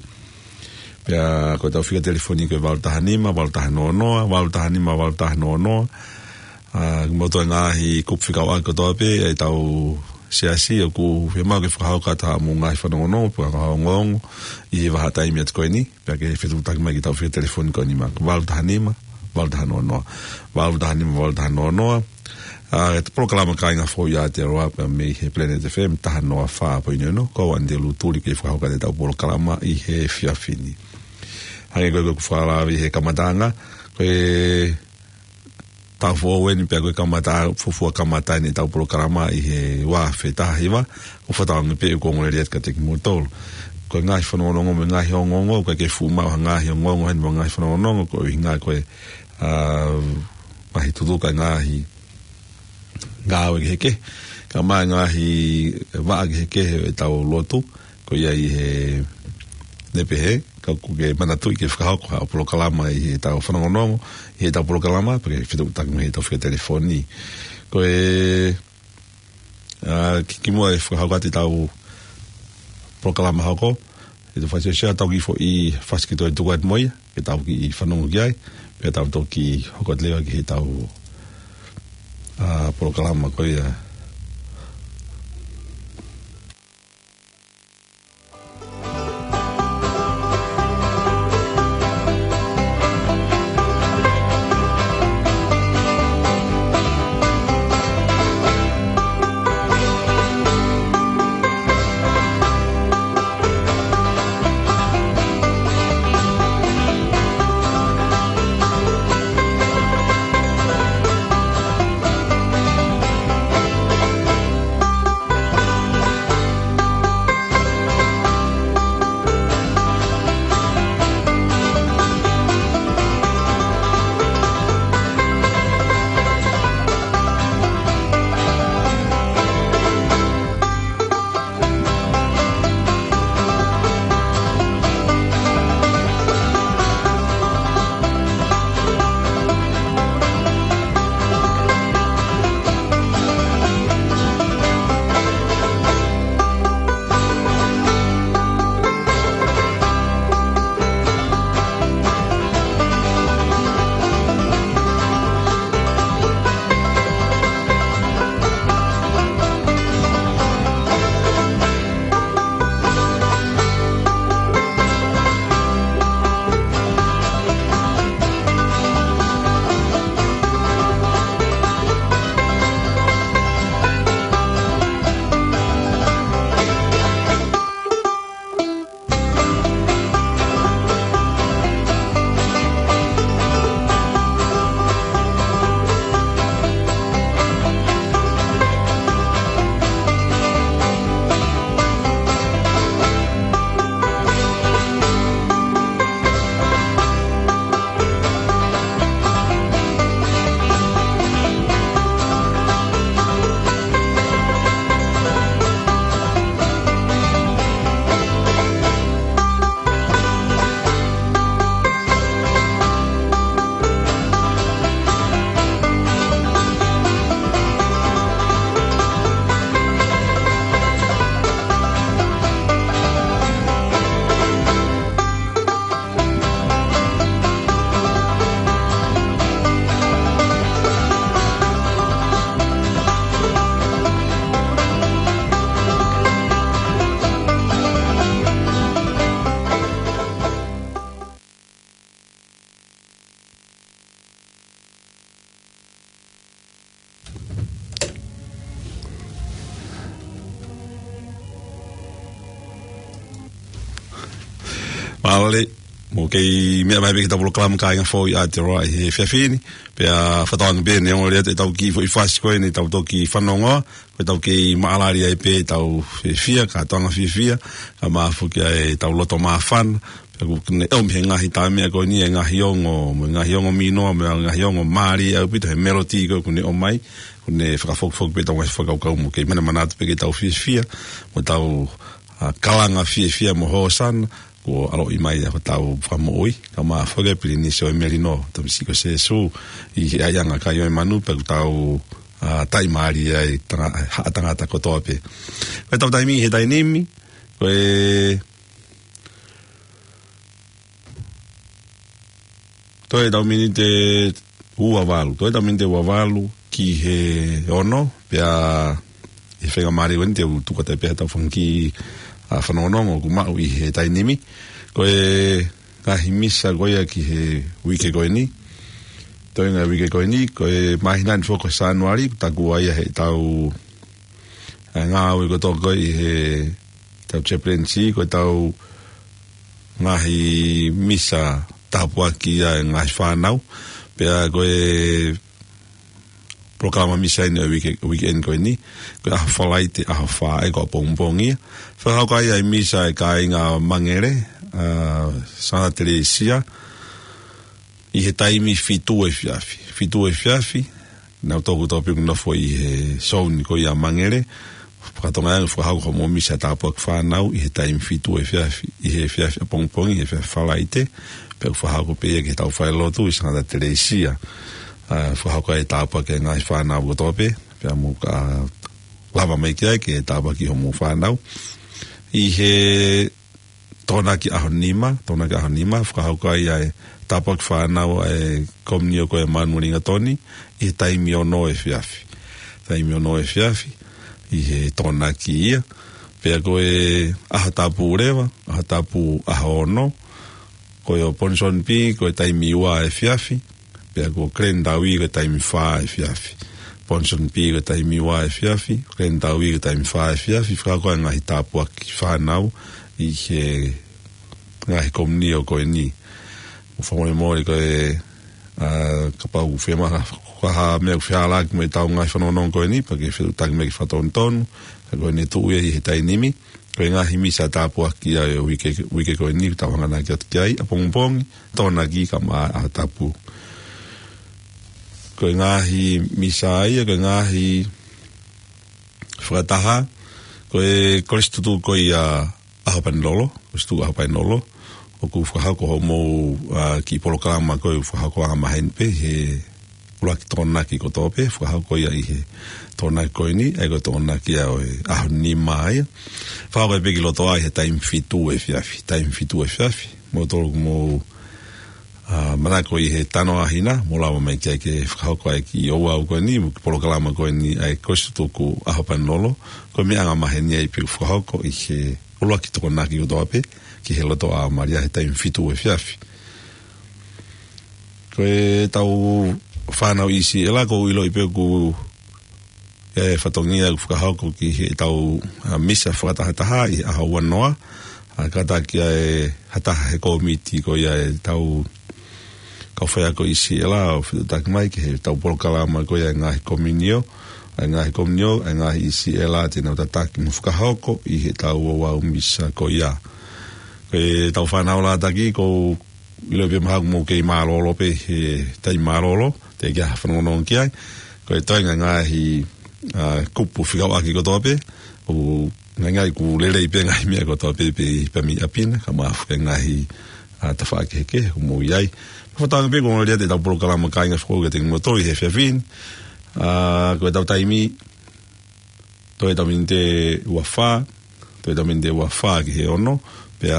Pea ko ʻetau fika telefoni ko e valu taha nima, valu taha noa noa, valu taha nima, valu taha noa noa. ʻA, mou toe ngaahi kupu fika ua kotoa pē, ʻetau siasi ʻoku fiemaʻu ke fakahoko atu haʻamou ngaahi fanongonongo, pe ko e ongoongo, ʻi he vahaʻa taimi atu ko eni. Pea ke fetuʻutaki mai ki heʻetau fika telefoni ko eni, valu taha nima, valu taha noa noa. Valu taha nima, valu taha noa noa. ʻA, ko e polokalama Kāinga Foʻou ʻi Aotearoa pē mei he Planet F M taha noa fā poini ono, ko au Andy Lutuli ke fakahoko atu ʻetau polokalama ʻi he efiafi ni. Hangē ko e, ko e fakalave he kamataʻanga, ko e taʻu foʻou eni pea ko e kamata, fuofua kamata eni ʻetau polokalama ʻi he ua afe taha hiva, ʻo fakatauange pē ʻoku ongo lelei atu kiate kimoutolu. Ko e ngaahi fanongonongo mo e ngaahi ongoongo, ʻoku ʻikai ke fuʻu maʻu ha ngaahi ongoongo heni mo e ngaahi fanongonongo, ko e ʻuhinga ko e, ʻa, ngaahi tutuka, ngaahi ngāue kehekehe, kae ʻumaʻā e ngaahi vaʻa kehekehe ʻetau lotu, ko ia ʻi he nepehe, ka ʻoku ke manatuʻi ke fakahoko haʻo polokalama ʻi heʻetau fanongonongo, ʻi heʻetau polokalama, pea ke fetuʻutaki mai heʻetau fika telefoni. Ko e, ʻa, ki, kimuʻa e fakahoko atu ʻetau polokalama hoko, ʻe tau fasi ʻo sia tau kiʻi foʻi fasi ke toe tuku atu mo ia, ke tau kiʻi fanongo ki ai, pea tau toki hoko atu leva ki heʻetau, ʻa, polokalama ko ia. Mālō, mou kei meʻa mai pē ki heʻetau polokalama Kāinga Foʻou ʻi Aotearoa ʻi he efiafi ni, pea fakatauange pē neongo lelei atu ʻetau kiʻi foʻi fasi ko eni ʻetau toki fanongoa, ko ʻetau kei maʻalali ai pē ʻetau fiefia, kātoanga fiefia, kae ʻumaʻā foki ʻetau loto māfana, Pea ʻoku ne ʻomi he ngaahi tā meʻa ko eni, e ngaahi ongo, mo e ngaahi ongo mīnoa, mo e ngaahi ongo mālie ʻaupito he melody ko ē ʻoku ne ʻomai, ʻoku ne fakafokifoki pē ʻetau ngaahi fakakaukau mo kei manamanatu pē ke tau fiefia, mo tau, ā, kalanga fiefia mo hōsana, kuo ʻaloʻi mai ʻa hotau Fakamoʻui, kae ʻumaʻā foki e Pilinisi ʻo e Melino, Tamasiʻi ko Sēsū, ʻi he ʻaiʻanga kai ʻo e manu, pea kuo tau, ā, taʻimālie ai tanga-, haʻa tangata kotoa pē. Ko ʻetau taimi he taimi ni, ko e toe ʻetau miniti ua valu. Toe ʻetau miniti ua valu ki he ono, pea ʻi he faingamālie ko eni te u tuku atu pē ʻetau fanga kiʻi, ā, fanongonongo ʻoku maʻu ʻi he taimi ni. Ko e ngaahi misa ko ia ki he uike ko eni. Toe ngaahi uike ko eni, ko e māhina ni foki ko Sānuali, ʻoku takua ia heʻetau ʻa e ngāue kotoa ko ē ʻi heʻetau chaplaincy, ko ʻetau ngaahi misa tāpuakiʻi ʻa e ngaahi fānau. Pea ko e polokalama misa eni ʻo e uike, weekend ko eni, ko e ʻaho Falaite, ʻaho fā, ʻa ia ko ʻapongipongi ia. Fakahoko ai ʻa e misa ʻa e kāinga Mangele, ā, Santa Teresia, ʻi he taimi fitu efiafi. Fitu efiafi, naʻa tau toki tau pē ʻoku nofo ʻi he zone ko ia Mangele, faka-Tonga ange, fakahoko hoʻomou misa tāpuaki fānau ʻi he taimi fitu efiafi, ʻi he efiafi ʻapongipongi, ʻi he efiafi Falaite, pea ʻoku fakahoko pē ia ki heʻetau falelotu ʻi Santa Teresia. Ā, fakahoko ai e tāpuaki ki he ngaahi fānau kotoa pē, pea mou ka lava mai ki ai ke tāpuakiʻi hoʻomou fānau. ʻI he Tokonaki ʻaho nima, Tokonaki ʻaho nima, fakahoko ai ʻa e tāpuaki fānau ʻa e komiunio ko ē ʻa Manueli Ingatoni, ʻi he taimi ono efiafi. Taimi ono efiafi, ʻi he Tokonaki ia. Pea ko e ʻaho tapu leva, ʻaho tapu ʻaho ono, ko e ʻo Ponsonby, ko e taimi ua efiafi, pea ko Glendalough ko e taimi fā efiafi. Ponsonby ko e taimi ua efiafi, Glendalough ko e taimi fā efiafi, fakahoko ai e ngaahi tāpuaki fānau ʻi he ngaahi komiunio ko eni. Mou fakamolemole ko e, ā, kapau ʻoku fiemaʻu ha, ha meʻa ʻoku fehālaaki mo ʻetau ngaahi fanongonongo ko eni, pea ke fetuʻutaki mai ke fakatonutonu, ka ko eni tuʻu ia ʻi he taimi ni. Ko e ngaahi misa tāpuaki ʻa e uike, uike ko eni, tau hanganaki atu ki ai, ʻapongipongi, Tokonaki kae ʻumaʻā ʻaho tapu. Ko e ngaahi misa ia, ko e ngaahi fakataha, ko e Kolisi Tutuku ko ia ʻAhopanilolo, Kolisi Tutuku ʻAhopanilolo, ʻoku fakahoko hoʻomou, ā, kiʻi polokalama ko ē ʻoku fakahoko angamaheni pē he ʻuluaki Tokonaki kotoa pē, fakahoko ia ʻi he Tokonaki ko eni, ʻa ia ko e Tokonaki ia ʻo e ʻaho nima ia. Fakahoko ia pē ki loto ai he taimi fitu efiafi, taimi fitu efiafi. Mou tolu ʻoku mou, ā, manako ʻi he tanoa hina, mou lava mai ki ai ke fakahoko ai e kiʻi ouau ko eni, mo e kiʻi polokalama ko eni ʻa e Kolisi Tutuku ʻAhopanilolo, ko e meʻa angamaheni ia pē ʻoku fakahoko ʻi he ʻuluaki Tokonaki kotoa pē, ki he loto ʻa Malia he taimi fitu efiafi. Ko ʻetau fānau ʻi Siʻela, ʻoku ou ʻiloʻi pē ʻoku ʻi ai e fatongia ʻoku fakahoko ki heʻetau, ā, misa fakatahataha ʻi he ʻaho ua noa, ā, kātaki ʻa e ha taha he kōmiti ko ia ʻetau kau faiako ʻi Siʻela ʻo fetuʻutaki mai ki heʻetau polokalama ko ia e ngaahi komiunio, ʻa e ngaahi komiunio, ʻa e ngaahi ʻi Siʻela te nau tataki mo fakahoko ʻi heʻetau ouau misa ko ia. Ko ʻetau fānau lātaki, ʻoku ou ʻiloʻi pē mahalo ʻoku mou kei mālōlō pē he taimi mālōlō, teʻeki ai ha fanongonongo ki ai. Ko e toenga e ngaahi, ā, kupu fekauʻaki kotoa pē, ʻoku ngaingai ʻoku lelei pē ngaahi meʻa kotoa pē, pē, pē mei ʻapi na, kae ʻumaʻā e ngaahi, ā, tafaʻaki kehekehe ʻoku mou ʻi ai. Fakatauange pē ko e ongo lea ʻetau polokalama kāinga fakaʻosi kiate kimoutolu ʻi he efiafi ni. Ā, ko ʻetau taimi, toe ʻetau miniti ua fā, toe ʻetau miniti ua fā ki he ono, pea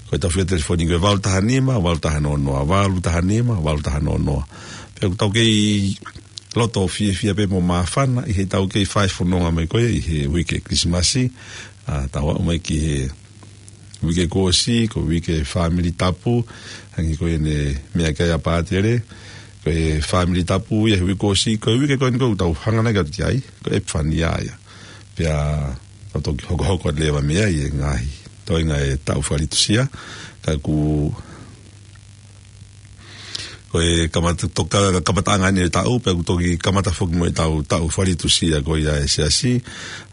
ko ʻetau fika telefoni ko e valu taha nima, valu taha noa noa, valu taha nima, valu taha noa noa. Pea ʻoku tau kei loto fiefia pē mo māfana ʻi heʻetau kei fai fononga mai ko ē ʻi he uike Kilisimasi, ā, tau aʻu mai ki he uike kuo ʻosi, ko e uike fāmili tapu, hangē ko ʻene meʻa ki ai ʻa Pātele, ko e fāmili tapu ia he uike kuo ʻosi, ko e uike ko eni ʻoku tau hanganaki atu ki ai, ko e Epifania ia. Pea tau toki hokohoko atu leva mei ai e ngaahi toenga e taʻu fakalitusia, ka ʻoku Ko e kamata, toka, kamataʻanga ʻeni e taʻu, pea ʻoku toki kamata foki mo ʻetau taʻu faletusia ko ia ʻa e Siasi.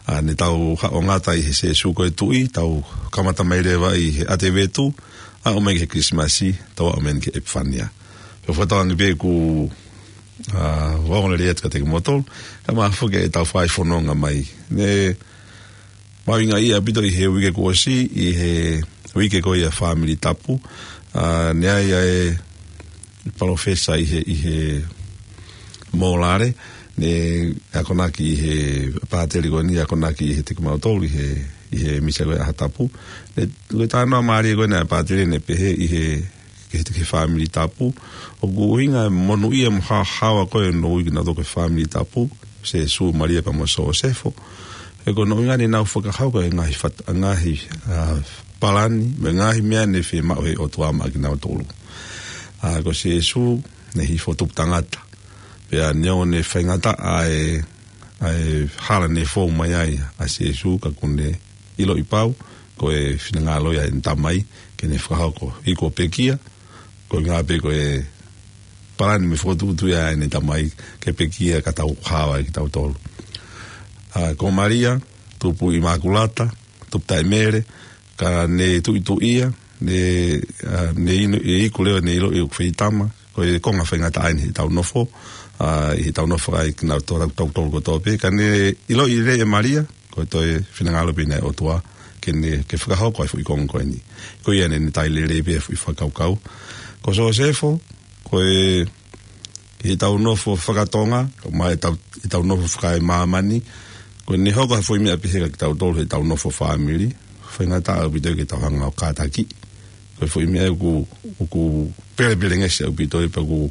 ʻA, ne tau haʻongata ʻi he Sēsū ko e Tuʻi, tau kamata mai leva ʻi he ʻAtevetu, aʻu mai ki he Kilisimasi, tau aʻu mai ki he ʻEpifania. Pea fakatauange pē ʻoku, ʻa, ongoongolelei atu kiate kimoutolu, kae ʻumaʻā foki ʻetau fai fononga mai. Ne mahuʻinga ʻaupito ʻi he uike kuo ʻosi, ʻi he uike ko ia Fāmili Tapu. ʻA, ne ʻi ai ʻa e palōfesa ʻi he, ʻi he Mōlale, ne akonaki ʻi he pātele ko eni, akonaki ʻiate kimautolu ʻi he, ʻi he misa ko ia ʻaho tapu. Ne, ko e talanoa mālie ko ena ʻa e pātele ne pehē ʻi he, ki he, ki he Fāmili Tapu. ʻOku ʻuhinga e monūʻia mo haohaoa ko ē ʻo e moʻui kinautolu ko e Fāmili Tapu, Sēsū, Malia pea mo Sōsefo. He ko hono ʻuhinga ne nau fakahoko e ngaahi fat-, ngaahi, ʻa, palani, mo e ngaahi meʻa ne fiemaʻu ʻe he ʻOtua maʻa kinautolu. ʻA, ko Sēsū, ne hifo tupu tangata. Pea neongo ne faingataʻa ʻa e, ʻa e hala ne fou mai ai ʻa Sēsū ka ʻoku ne ʻiloʻi pau, ko e finangalo ia ʻene Tamai, ke ne fakahoko. ʻI ko pekia, ko e ʻuhinga pē ko e palani mo e fokotuʻutuʻu ia ʻene Tamai, ke pekia ka tau haohaoa kitautolu. ʻA, ko Malia, tupu ʻImakulata, tupu taʻemele, ka ne tuʻituʻia, ne, ʻa, ne inu, ʻe iku leva ne ʻiloʻi ʻoku feitama, ko e konga faingataʻa ʻeni heʻetau nofo, ʻa, ʻi heʻetau nofo ai kinautolu, tau, tau, tau kotoa pē, ka ne ʻiloʻi lelei ʻe Malia, ko e toe finangalo pē ʻeni ʻa e ʻOtua, ke ne, ke fakahoko ʻa e foʻi konga ko eni. Ko ia ne, ne tali lelei pē ʻa e foʻi fakakaukau. Ko Sōsefo, ko e, ʻi heʻetau nofo fakatonga, kae ʻumaʻā ʻetau, ʻetau nofo fakaemāmani, ko ʻene hoko ha foʻi meʻa pehē kia kitautolu heʻetau nofo fāmili, faingataʻa ʻaupito ke tau hanga ʻo kātaki. Ko e foʻi meʻa ʻoku, ʻoku pelepelengesi ʻaupito ē pea ʻoku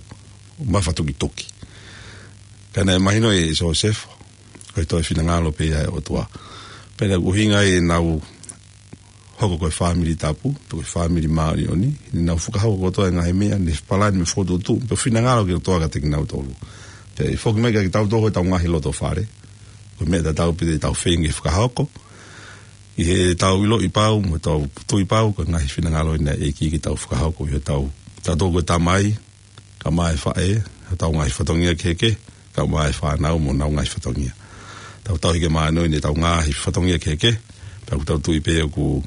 mafatukituki. Ka naʻe mahino ʻe Sōsefo, ko e toe finangalo pē ia ʻa e ʻOtua. Pea naʻe ʻuhinga ʻenau hoko ko e Fāmili Tapu, pe ko e Fāmili Māʻoniʻoni, ne nau fakahoko kotoa e ngaahi meʻa, ne palani mo e fokotuʻutuʻu, pea finangalo ki he ʻOtua kiate kinautolu. Pea ʻe foki mai kia kitautolu ko ʻetau ngaahi loto fale, ko e meʻa tatau pē te tau feinga ke fakahoko, ʻi heʻetau ʻiloʻi pau, mo ʻetau tui pau, ko e ngaahi finangalo ʻeni ʻa e ʻEiki ke tau fakahoko, ʻi heʻetau, tautolu ko e tamai, kae ʻumaʻā e faʻē, ʻetau ngaahi fatongia kehekehe, kae ʻumaʻā e fānau mo ʻenau ngaahi fatongia. Tau tauhi ke māʻoniʻoni ʻetau ngaahi fatongia kehekehe, pea ʻoku tau tui pē ʻoku,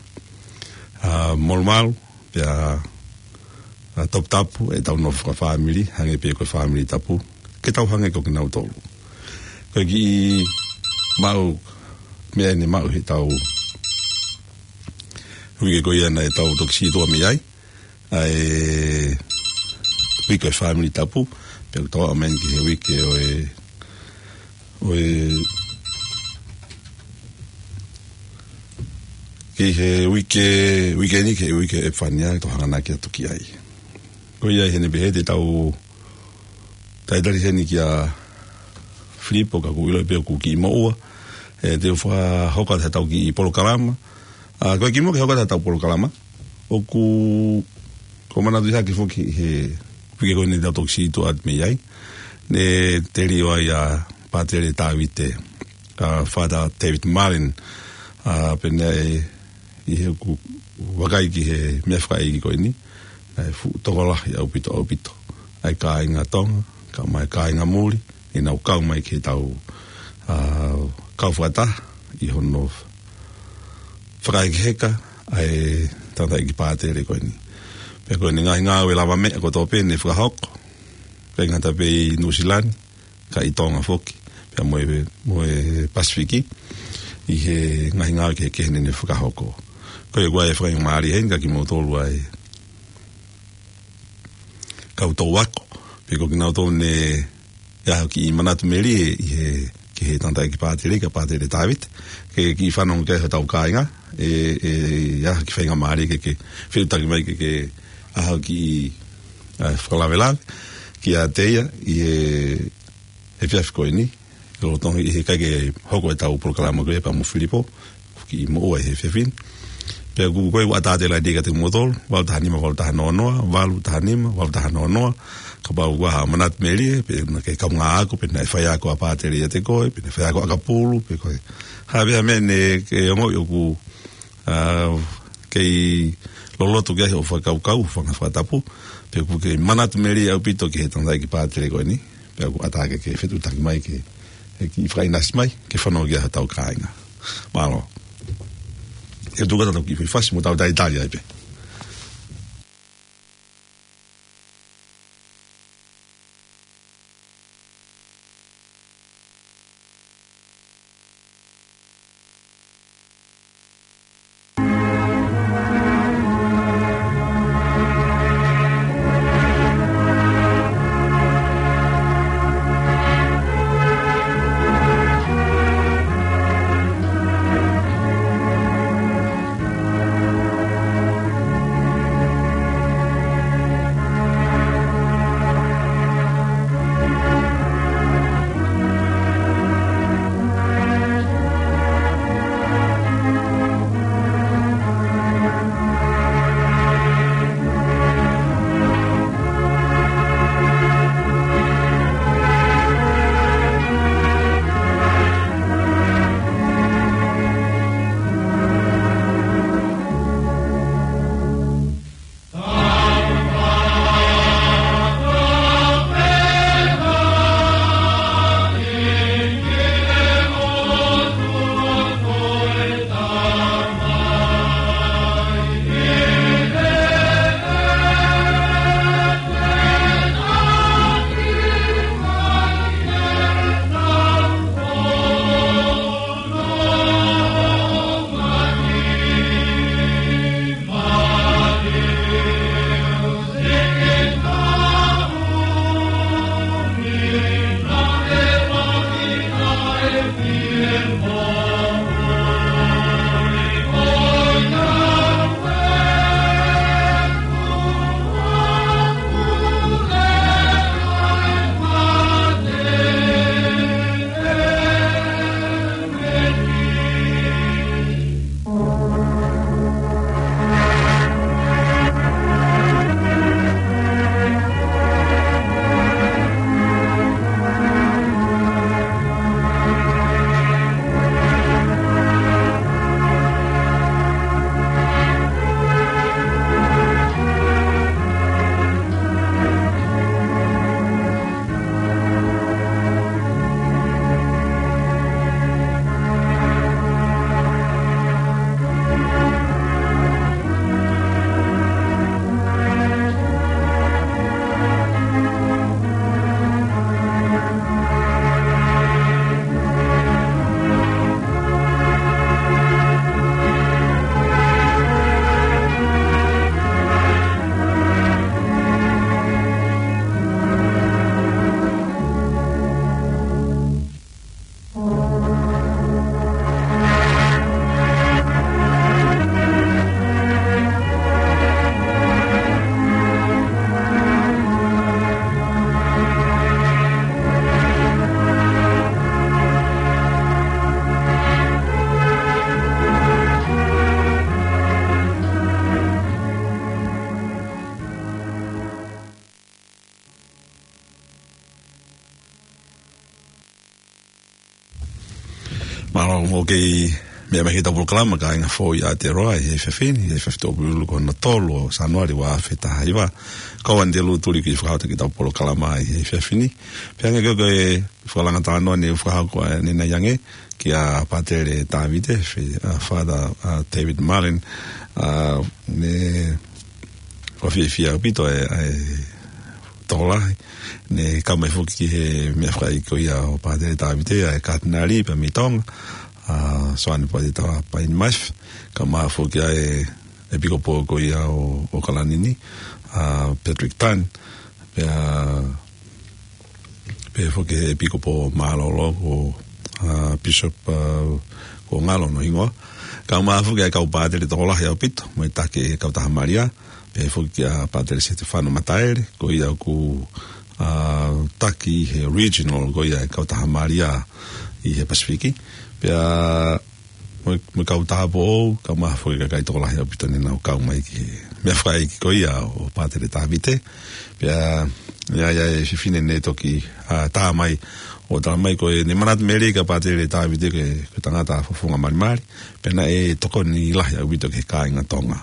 ʻa, molumalu, pea, ʻa, toputapu ʻetau nofo fakafāmili, hangē pē ko e Fāmili Tapu, ke tau hangē ko kinautolu. Ko e kiʻi maʻu, meʻa ʻeni maʻu heʻetau uike ko ia naʻa tau toki sītuʻa mei ai, ʻa e uike ʻo e Fāmili Tapu, pea ʻoku tau aʻu mai ki he uike ʻo e, ʻo e, ki he uike, uike ni ki he uike ʻEpifania, tau hanganaki atu ki ai. Ko ia ʻi heʻene pehē te tau talitali heni kia Filipo ka ʻoku ou ʻilo pē ʻoku kiʻi moʻua, ʻe, te u fakahoko atu haʻatau kiʻi polokalama. ʻA, ko e kimuʻa ke hoko atu haʻatau polokalama, ʻoku, ʻoku ou manatuʻi hake foki he uike ko eni naʻa tau toki sītuʻa atu mei ai, ne telio ai ʻa Pātele Tavite, ʻa Father David Marlin, ʻa, pea naʻe, ʻi heʻeku vakai ki he meʻa fakaʻeiki ko eni, naʻe fuʻu tokolahi ʻaupito, ʻaupito ʻa e kāinga Tonga, kae ʻumaʻā e kāinga muli, ʻenau kau mai ke tau, ʻa, kau fakataha ʻi hono fakahekeheka ʻa e tangataʻeiki pātele ko eni. Pea ko ʻene ngaahi ngāue lavameʻa kotoa pē ne fakahoko, ʻikai ngata pē ʻi Nuʻusila ni, ka ʻi Tonga foki, pea mo e, mo e Pasifiki, ʻi he ngaahi ngāue kehekehe ne ne fakahoko. Ko ia ʻoku ʻi ai e faingamālie heni kia kimoutolu ʻa e kau tau ako, pe ko kinautolu ne ʻi ai ha kiʻi manatu melie ʻi he, ki he tangataʻeiki pātele, kia Pātele Tavite, ke kiʻi fanongo ki ai hotau kāinga, ʻe, ʻe ʻi ai ha kiʻi faingamālie ke, ke fetuʻutaki mai ke, ke ʻai ha kiʻi, ʻa, fakalavelave kiate ia ʻi he efiafi ko eni, lolotonga ʻi he ʻikai ke hoko ʻetau polokalama ko ia pea mo Filipo, kiʻi moʻua ʻi he efiafi ni. Pea ʻoku, ko e ʻatā atu leva kiate kimoutolu, valu taha nima, valu taha noa noa, valu taha nima, valu taha noa noa, kapau ʻoku ʻi ai ha manatu melie, pe naʻa ke kaungā ako, pe naʻe faiako ʻa Pātele ʻiate koe, pe naʻe faiako ʻakapulu, pe ko e hā pē ha meʻa ne ke ongoʻi ʻoku, ʻa, kei loloto ki ai hoʻo fakakaukau, fanga fakatapu, pea ʻoku ke manatu melie ʻaupito ki he tangataʻeiki pātele ko eni, pea ʻoku ʻatā ke ke fetuʻutaki mai ke, ke fakaʻinasi mai, ke fanongo ki ai hotau kāinga. Mālō. ʻE tuku atu ʻetau kiʻi foʻi fasi mo tau talitali ai pē. Mālō, ʻoku mou kei meʻa mai ki heʻetau polokalama Kāinga Foʻou ʻi Aotearoa ʻi he efiafi ni, ʻi he efiafi Tuʻapulelulu ko hono tolu ʻo Sānuali ua afe taha hiva. Ko au Anitelū Tuliki ʻoku fakaʻaongaʻi ʻetau polokalama ʻi he efiafi ni. Pea hangē ko e fakalanga talanoa ne u fakahoko ʻanenai ange kia Pātele Tavite, Fe-, ʻa, Father, ʻa, David Marlin, ʻa, ne ʻoku fiefia ʻaupito e, e tokolahi. Ne kau mai foki ki he meʻafakaʻeiki ko ia ʻo Pātele Tavite, ʻa e Katinali pea mei Tonga, ʻa Soane Pātele Tauha Paini Maifi, kae ʻumaʻā foki ʻa e ʻEpikopō ko ia ʻo, ʻo ʻOkalani ni, ʻa Patrick Tan, pea pehē foki he ʻEpikopō mālōlō ko, ʻa, Bishop, ʻa, ko Ngalo hono hingoa. Kae ʻumaʻā foki ʻa e kau pātele tokolahi ʻaupito, mo e taki ʻe he Kautaha Malia, pehē foki kia Pātele Setefano Mataele, ko ia ʻoku, ʻa, taki he regional ko ia ʻa e Kautaha Malia ʻi he Pasifiki. Pea mo e, mo e Kautaha Foʻou, kae ʻumaʻā foki e kakai tokolahi ʻaupito ne nau kau mai ki he meʻafakaʻeiki ko ia ʻo Pātele Tavite. Pea, ʻa ia, ʻa e fefine ne toki, ʻa, tā mai ʻo tala mai ko ʻene manatu melie kia Pātele Tavite ko e, ko e tangata fofonga malimali. Pea naʻe tokoni lahi ʻaupito ki he kāinga Tonga.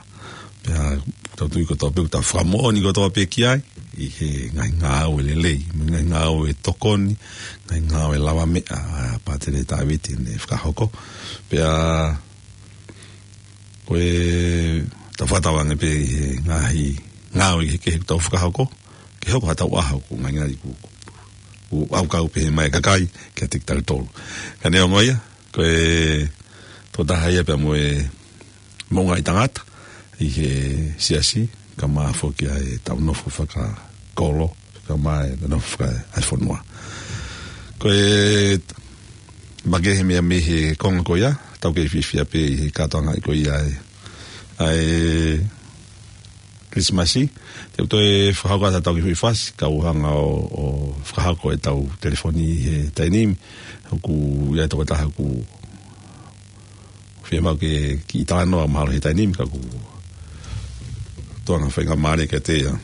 Pea tau tui kotoa pē, tau fakamoʻoni kotoa pē ki ai, ʻi he ngaahi ngāue lelei, mo e ngaahi ngāue tokoni, ngaahi ngāue lavameʻa ʻa Pātele Tāviti ne fakahoko. Pea ko e tau fakatauange pē ʻi he ngaahi ngāue kehekehe ʻoku tau fakahoko, ke hoko ha tau ʻaho ʻoku ngai ngai ku, ku, ku ʻaukau pē mai kakai, ke tiki tau tolu. Ka neongo ia, ko e tokotaha ia pea mo e moʻungaʻi tangata ʻi he siasi, kae ʻumaʻā foki ʻa e tau nofo fakakolo, kae ʻumaʻā e nofo faka-, ʻa e fonua. Ko e makehe meʻa mei he konga ko ia, tau kei fiefia pē ʻi he kātoanga ko ia ʻa e, ʻa e Kilisimasi, te u toe fakahoko atu ha tau kiʻi foʻi fasi, kau hanga ʻo, ʻo fakahoko e tau telefoni he taimi ni, ʻoku ʻi ai e tokotaha ʻoku fiemaʻu ke kiʻi talanoa mahalo he taimi ni, ka ʻoku tō ʻene faingamālie kiate ia.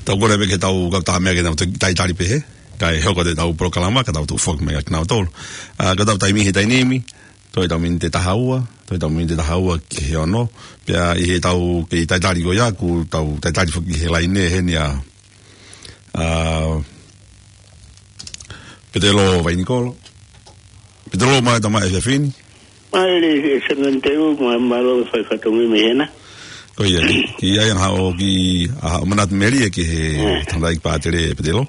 Tau kole pē ke tau kau tā meʻa ke tau te-, talitali pē he, kae hoko atu e tau polokalama, ka tau tuʻu foki mai kia kinautolu. ʻA, ko e tau taimi he taimi ni, toe tau miniti ʻe taha ua, toe tau miniti ʻe taha ua ki he ono, pea ʻi he tau kei talitali ko ia, ʻoku tau talitali foki he laine heni ʻa, ʻa, Petelo Vainikolo. Petelo, mālō e tau mai e efiafi ni. Mālō e Semeniteu, mā-, mālō e fai fatongia mei hena. Ko ia, ki, ki ai ʻa haʻo ki, ʻa haʻo manatu melie ki he Mm. tangataʻeiki Pātele Petelo.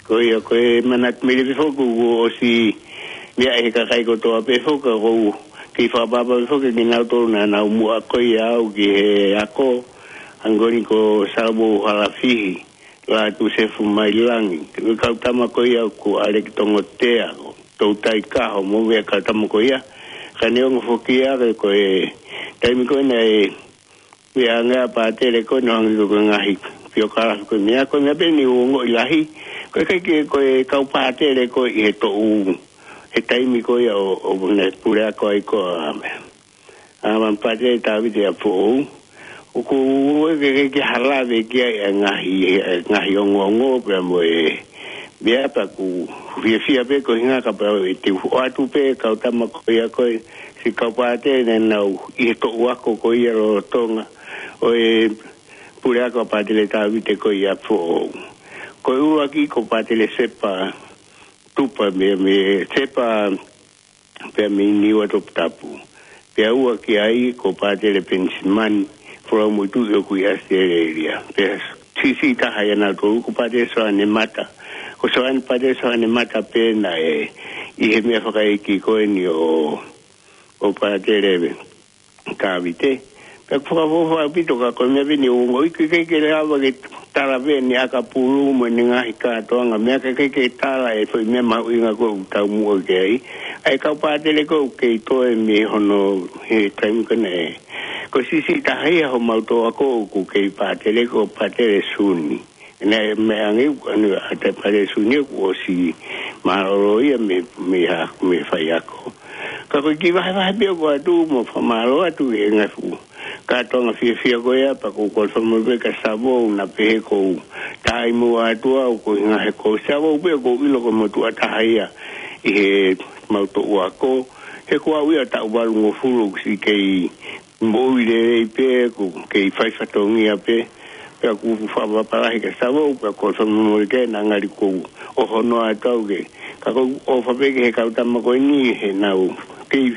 Ko ia, ko e manatu melie pē foki kuo ʻosi meʻa ʻe he kakai kotoa pē foki, ʻoku ou kei fakaʻapaʻapa pē foki kinautolu naʻa nau muʻa ko ia au ki he ako, hangē ko Salavou Halafihi, Lātū Sefu Mailangi, ko e kau tama ko ia ko ʻAleki Tongotea, ko Toutai Kaho, mo e kau tama ko ia. Ka neongo foki ia, ko e taimi ko ē naʻe meʻa ange ʻa Pātele ko ē naʻe hangē ko e ngaahi piokalafi ko e meʻa, ko e meʻa pē naʻe ongoʻi lahi, ko e ʻikai ke, ko e kau Pātele ko ē ʻi he toʻu, he taimi ko ia ʻo, ʻo ne puleako ai ko ē ʻa meʻa. ʻA, Pātele Tāviti ʻApifoʻou. ʻOku ou ʻeke ke, ke hala vē ki ai e ngaahi, e ngaahi ongoongo pea mo e meʻa pea ʻoku fiefia pē ko e ʻuhinga kapau ʻe te u ʻoatu pē kau tama ko ia ko ē, siʻi kau Pātele naʻa nau ʻi he toʻu ako ko ia lolotonga ʻo e puleako ʻa Pātele Tāviti ko ia ʻApifoʻou. Ko e ʻuluaki ko Pātele Sepa Tupa mei, mei Sepa pea mei Niua Toputapu. Pea ua ki ai ko Pātele Penisimani Folomotuʻi ʻoku ʻi ʻAositelēlia. Pea siʻisiʻi taha ia ʻa kinautolu ko Pātele Soane Mata. Ko Soane, Pātele Soane Mata pē naʻe ʻi he meʻa fakaʻeiki ko eni ʻo, ʻo Pātele Tāviti. Pea ʻoku fakaʻofoʻofa ʻaupito ka ko e meʻa pē naʻe ongoʻi, ʻikai ke lava ke tala pē ʻene ʻakapulu mo ʻene ngaahi kātoanga meʻa, ka ʻikai ke tala e foʻi meʻa mahuʻinga ko ē ʻoku taumuʻa ki ai. ʻA e kau Pātele ko ē ʻoku kei toe mei hono he taimi ko ē naʻe. Ko e siʻisiʻi taha ia homau toʻu ako ʻoku kei Pātele ko Pātele Suni. Naʻe meʻa ange ʻoku ʻa e Pātele Suni ʻoku ʻosi mālōlō ia mei, mei ha, mei he faiako. Ka ko e kiʻi vahevahe pē ʻoku ʻoatu mo fakamālō atu he ngaahi fuʻu kātoanga fiefia ko ia, pea ʻoku ou kole fakamolemole kia Salavou naʻa pehē ʻoku ou taimi ʻoatu au ko e ʻuhinga he ko Salavou pē ʻoku ou ʻilo ko e motuʻa taha ia ʻi heʻemau toʻu ako. He ko au ia taʻu valungofulu ʻoku siʻi kei moʻui lelei pē, ʻoku kei fai fatongia pē. Pea ʻoku fakapapālangi ke savo, pea ko e fakamolemole ke na ngali ko ʻohonoa atu au ke. Ka ʻoku ou ʻofa pē ki he kau tama ko eni he naʻa nau kei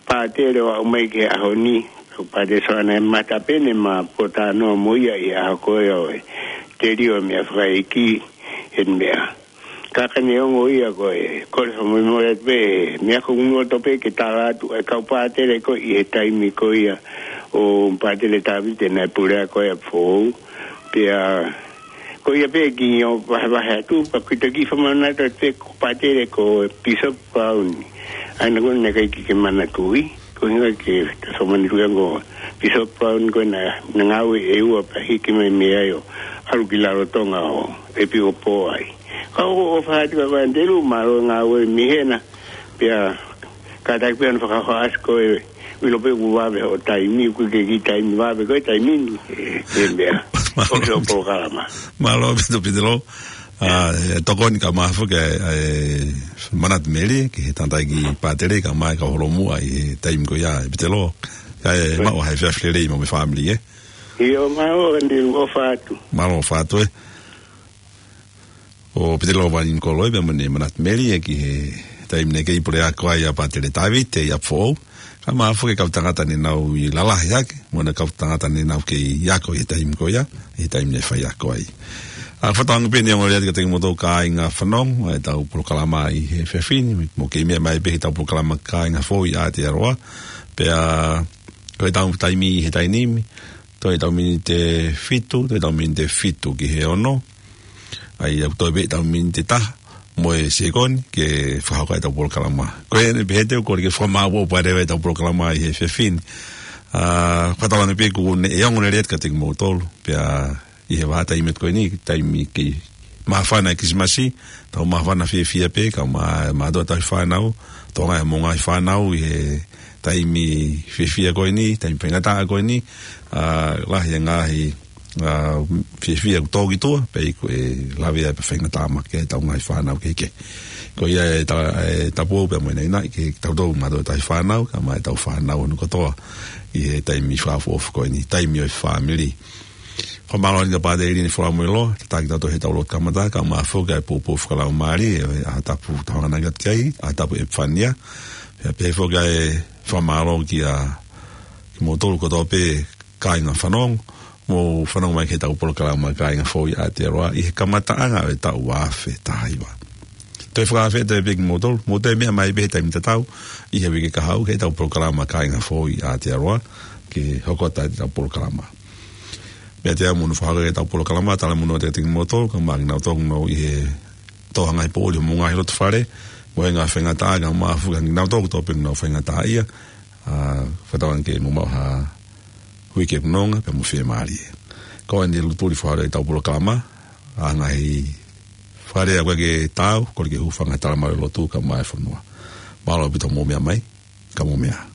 pātele ʻo aʻu mai ki he ʻaho ni. Ko Pātele Soana ʻe Matapene Mapotano mo ia ʻi he ʻaho ko ia ʻo e telio meʻa fakaʻeiki he meʻa. Ka ka neongo ia ko e, kole fakamolemole pē, meʻa ko ʻeku nofo atu pē ke tala atu, ʻa e kau pātele ko ē ʻi he taimi ko ia ʻo Pātele Tavite naʻe pule ko ia foʻou. Pea, ko ia pē ke u vahevahe atu, pea ko e taki fakamanatu atu pē ko e pātele ko Bishop Brown. ʻA ia naʻa ku ʻikai ke ke manatuʻi, ko e ʻuhinga ke fakamanatu ia ko Bishop Brown ko ena, naʻa ngāue ʻe ua pea hiki mai mei ai ʻo ʻalu ki Rarotonga ʻo ʻEpikopō ai. Ka ʻoku ou ʻofa atu kia koe Andrew, mālō e ngāue mei hena. Pea kātaki pē ʻoua naʻa fakahoa ʻasi koe, ʻilo pē ʻoku vave hoʻo taimi, ʻoku ʻikai ke kiʻi taimi vave ko e taimi ni, ʻe, ʻe meʻa. Mālō. ʻOsi hoʻo polokalama. Mālō ʻaupito Pitelo. ʻA, ʻe tokoni ka mafu ke, ʻe, Manatu Meli, ki he tangataʻeiki pātele, kae ʻumaʻā e kau holomuʻa ʻi he taimi ko ia ʻe Pitelo. Kae maʻu ha efiafi lelei mo e fāmili, ē? ʻIo, mālō, Andrew, ʻofa atu. Mālō, ʻofa atu, ē. Ko Pitelo Vani Kolo ē, pea mo ʻene Manatu Meli, ē, ki he taimi naʻe kei pule ako ai ʻa Pātele Tavite ʻi ʻApifoʻou. Kae ʻumaʻā foki e kau tangata naʻa nau ʻi lalahi hake, mo e kau tangata naʻa nau kei ako ʻi he taimi ko ia, ʻi he taimi naʻe fai ako ai. ʻA, fakatauange pē ʻeni ʻo ongoʻi atu kiate kimoutolu kāinga fanongo ʻetau polokalama ʻi he efiafi ni, mo kei meʻa mai pē ki heʻetau polokalama Kāinga Foʻou ʻi Aotearoa, pea ko ʻetau taimi ʻi he taimi ni, toe ʻetau miniti ʻe fitu, toe ʻetau miniti ʻe fitu ki he ono. ʻA ia, ʻoku toe pē ʻetau miniti ʻe taha mo e sekoni ke fakahoko ʻetau polokalama. Ko ʻene pehē ʻe au ʻoku ʻikai ke fakamāʻopoʻopo leva ʻetau polokalama ʻi he efiafi ni. ʻA, fakatauange pē ʻoku ne ʻe ongo lelei atu kiate kimoutolu. Pea ʻi he vahaʻa taimi ko eni, taimi kei māfana e Kilisimasi, tau māfana fiefia pē, kae ʻumaʻā e mātuʻa tauhi fānau, tō ngaahi mo e ngaahi fānau ʻi he taimi fiefia ko eni, taimi faingataʻa ko eni, ʻa, lahi e ngaahi, ʻa, fiefia ʻoku tō ki tuʻa, pea ʻoku ʻi ai e lavea pea faingataʻa maʻa ʻetau ngaahi fānau kehekehe. Ko ia e ta-, e tapu pea mo e naʻinaʻi kiate kitautolu mātuʻa tauhi fānau, kae ʻumaʻā ʻetau fānau hono kotoa ʻi he taimi fakaʻofoʻofa ko eni, taimi ʻo e fāmili. Fakamālō ʻaupito kia Pātele Line Folamoiloa, tataki kitautolu heʻetau lotu kamata, kae ʻumaʻā foki e poupou fakalaumālie, ʻa e ʻaho tapu tau hanganaki atu ki ai, ʻaho tapu ʻEpifania. Pea pehē foki ʻa e fakamālō kia kimoutolu kotoa pē kāinga fanongo, mou fanongo mai ki heʻetau polokalama Kāinga Foʻou ʻi Aotearoa, ʻi he kamataʻanga ʻo e taʻu ua afe taha hiva. Toe fakafetaʻi pē kimoutolu, mou toe meʻa mai pē he taimi tatau, ʻi he uike kahaʻu ki heʻetau polokalama Kāinga Foʻou ʻi Aotearoa, ke hoko atu ʻetau polokalama. Meiate au mo hono fakahoko ʻetau polokalama, talamonū atu kiate kimoutolu, kae ʻumaʻā kinautolu ʻoku nau ʻi he tō ha ngaahi poʻuli homou ngaahi loto fale, mo e ngaahi faingataʻa, kae ʻumaʻā foki kinautolu kotoa pē ʻoku nau faingataʻaʻia, ʻa, fakatauange ke mou maʻu ha uike ʻoku nonga, pea mo fiemālie. Ko ʻeni e lutuli fakahoko ʻetau polokalama, ʻa e ngaahi fakalea ʻoku ʻikai ke taau, kole ke hūfanga he talamalu ʻo e lotu kae ʻumaʻā e fonua. Mālō ʻaupito hoʻomou meʻa mai, ka mou meʻa.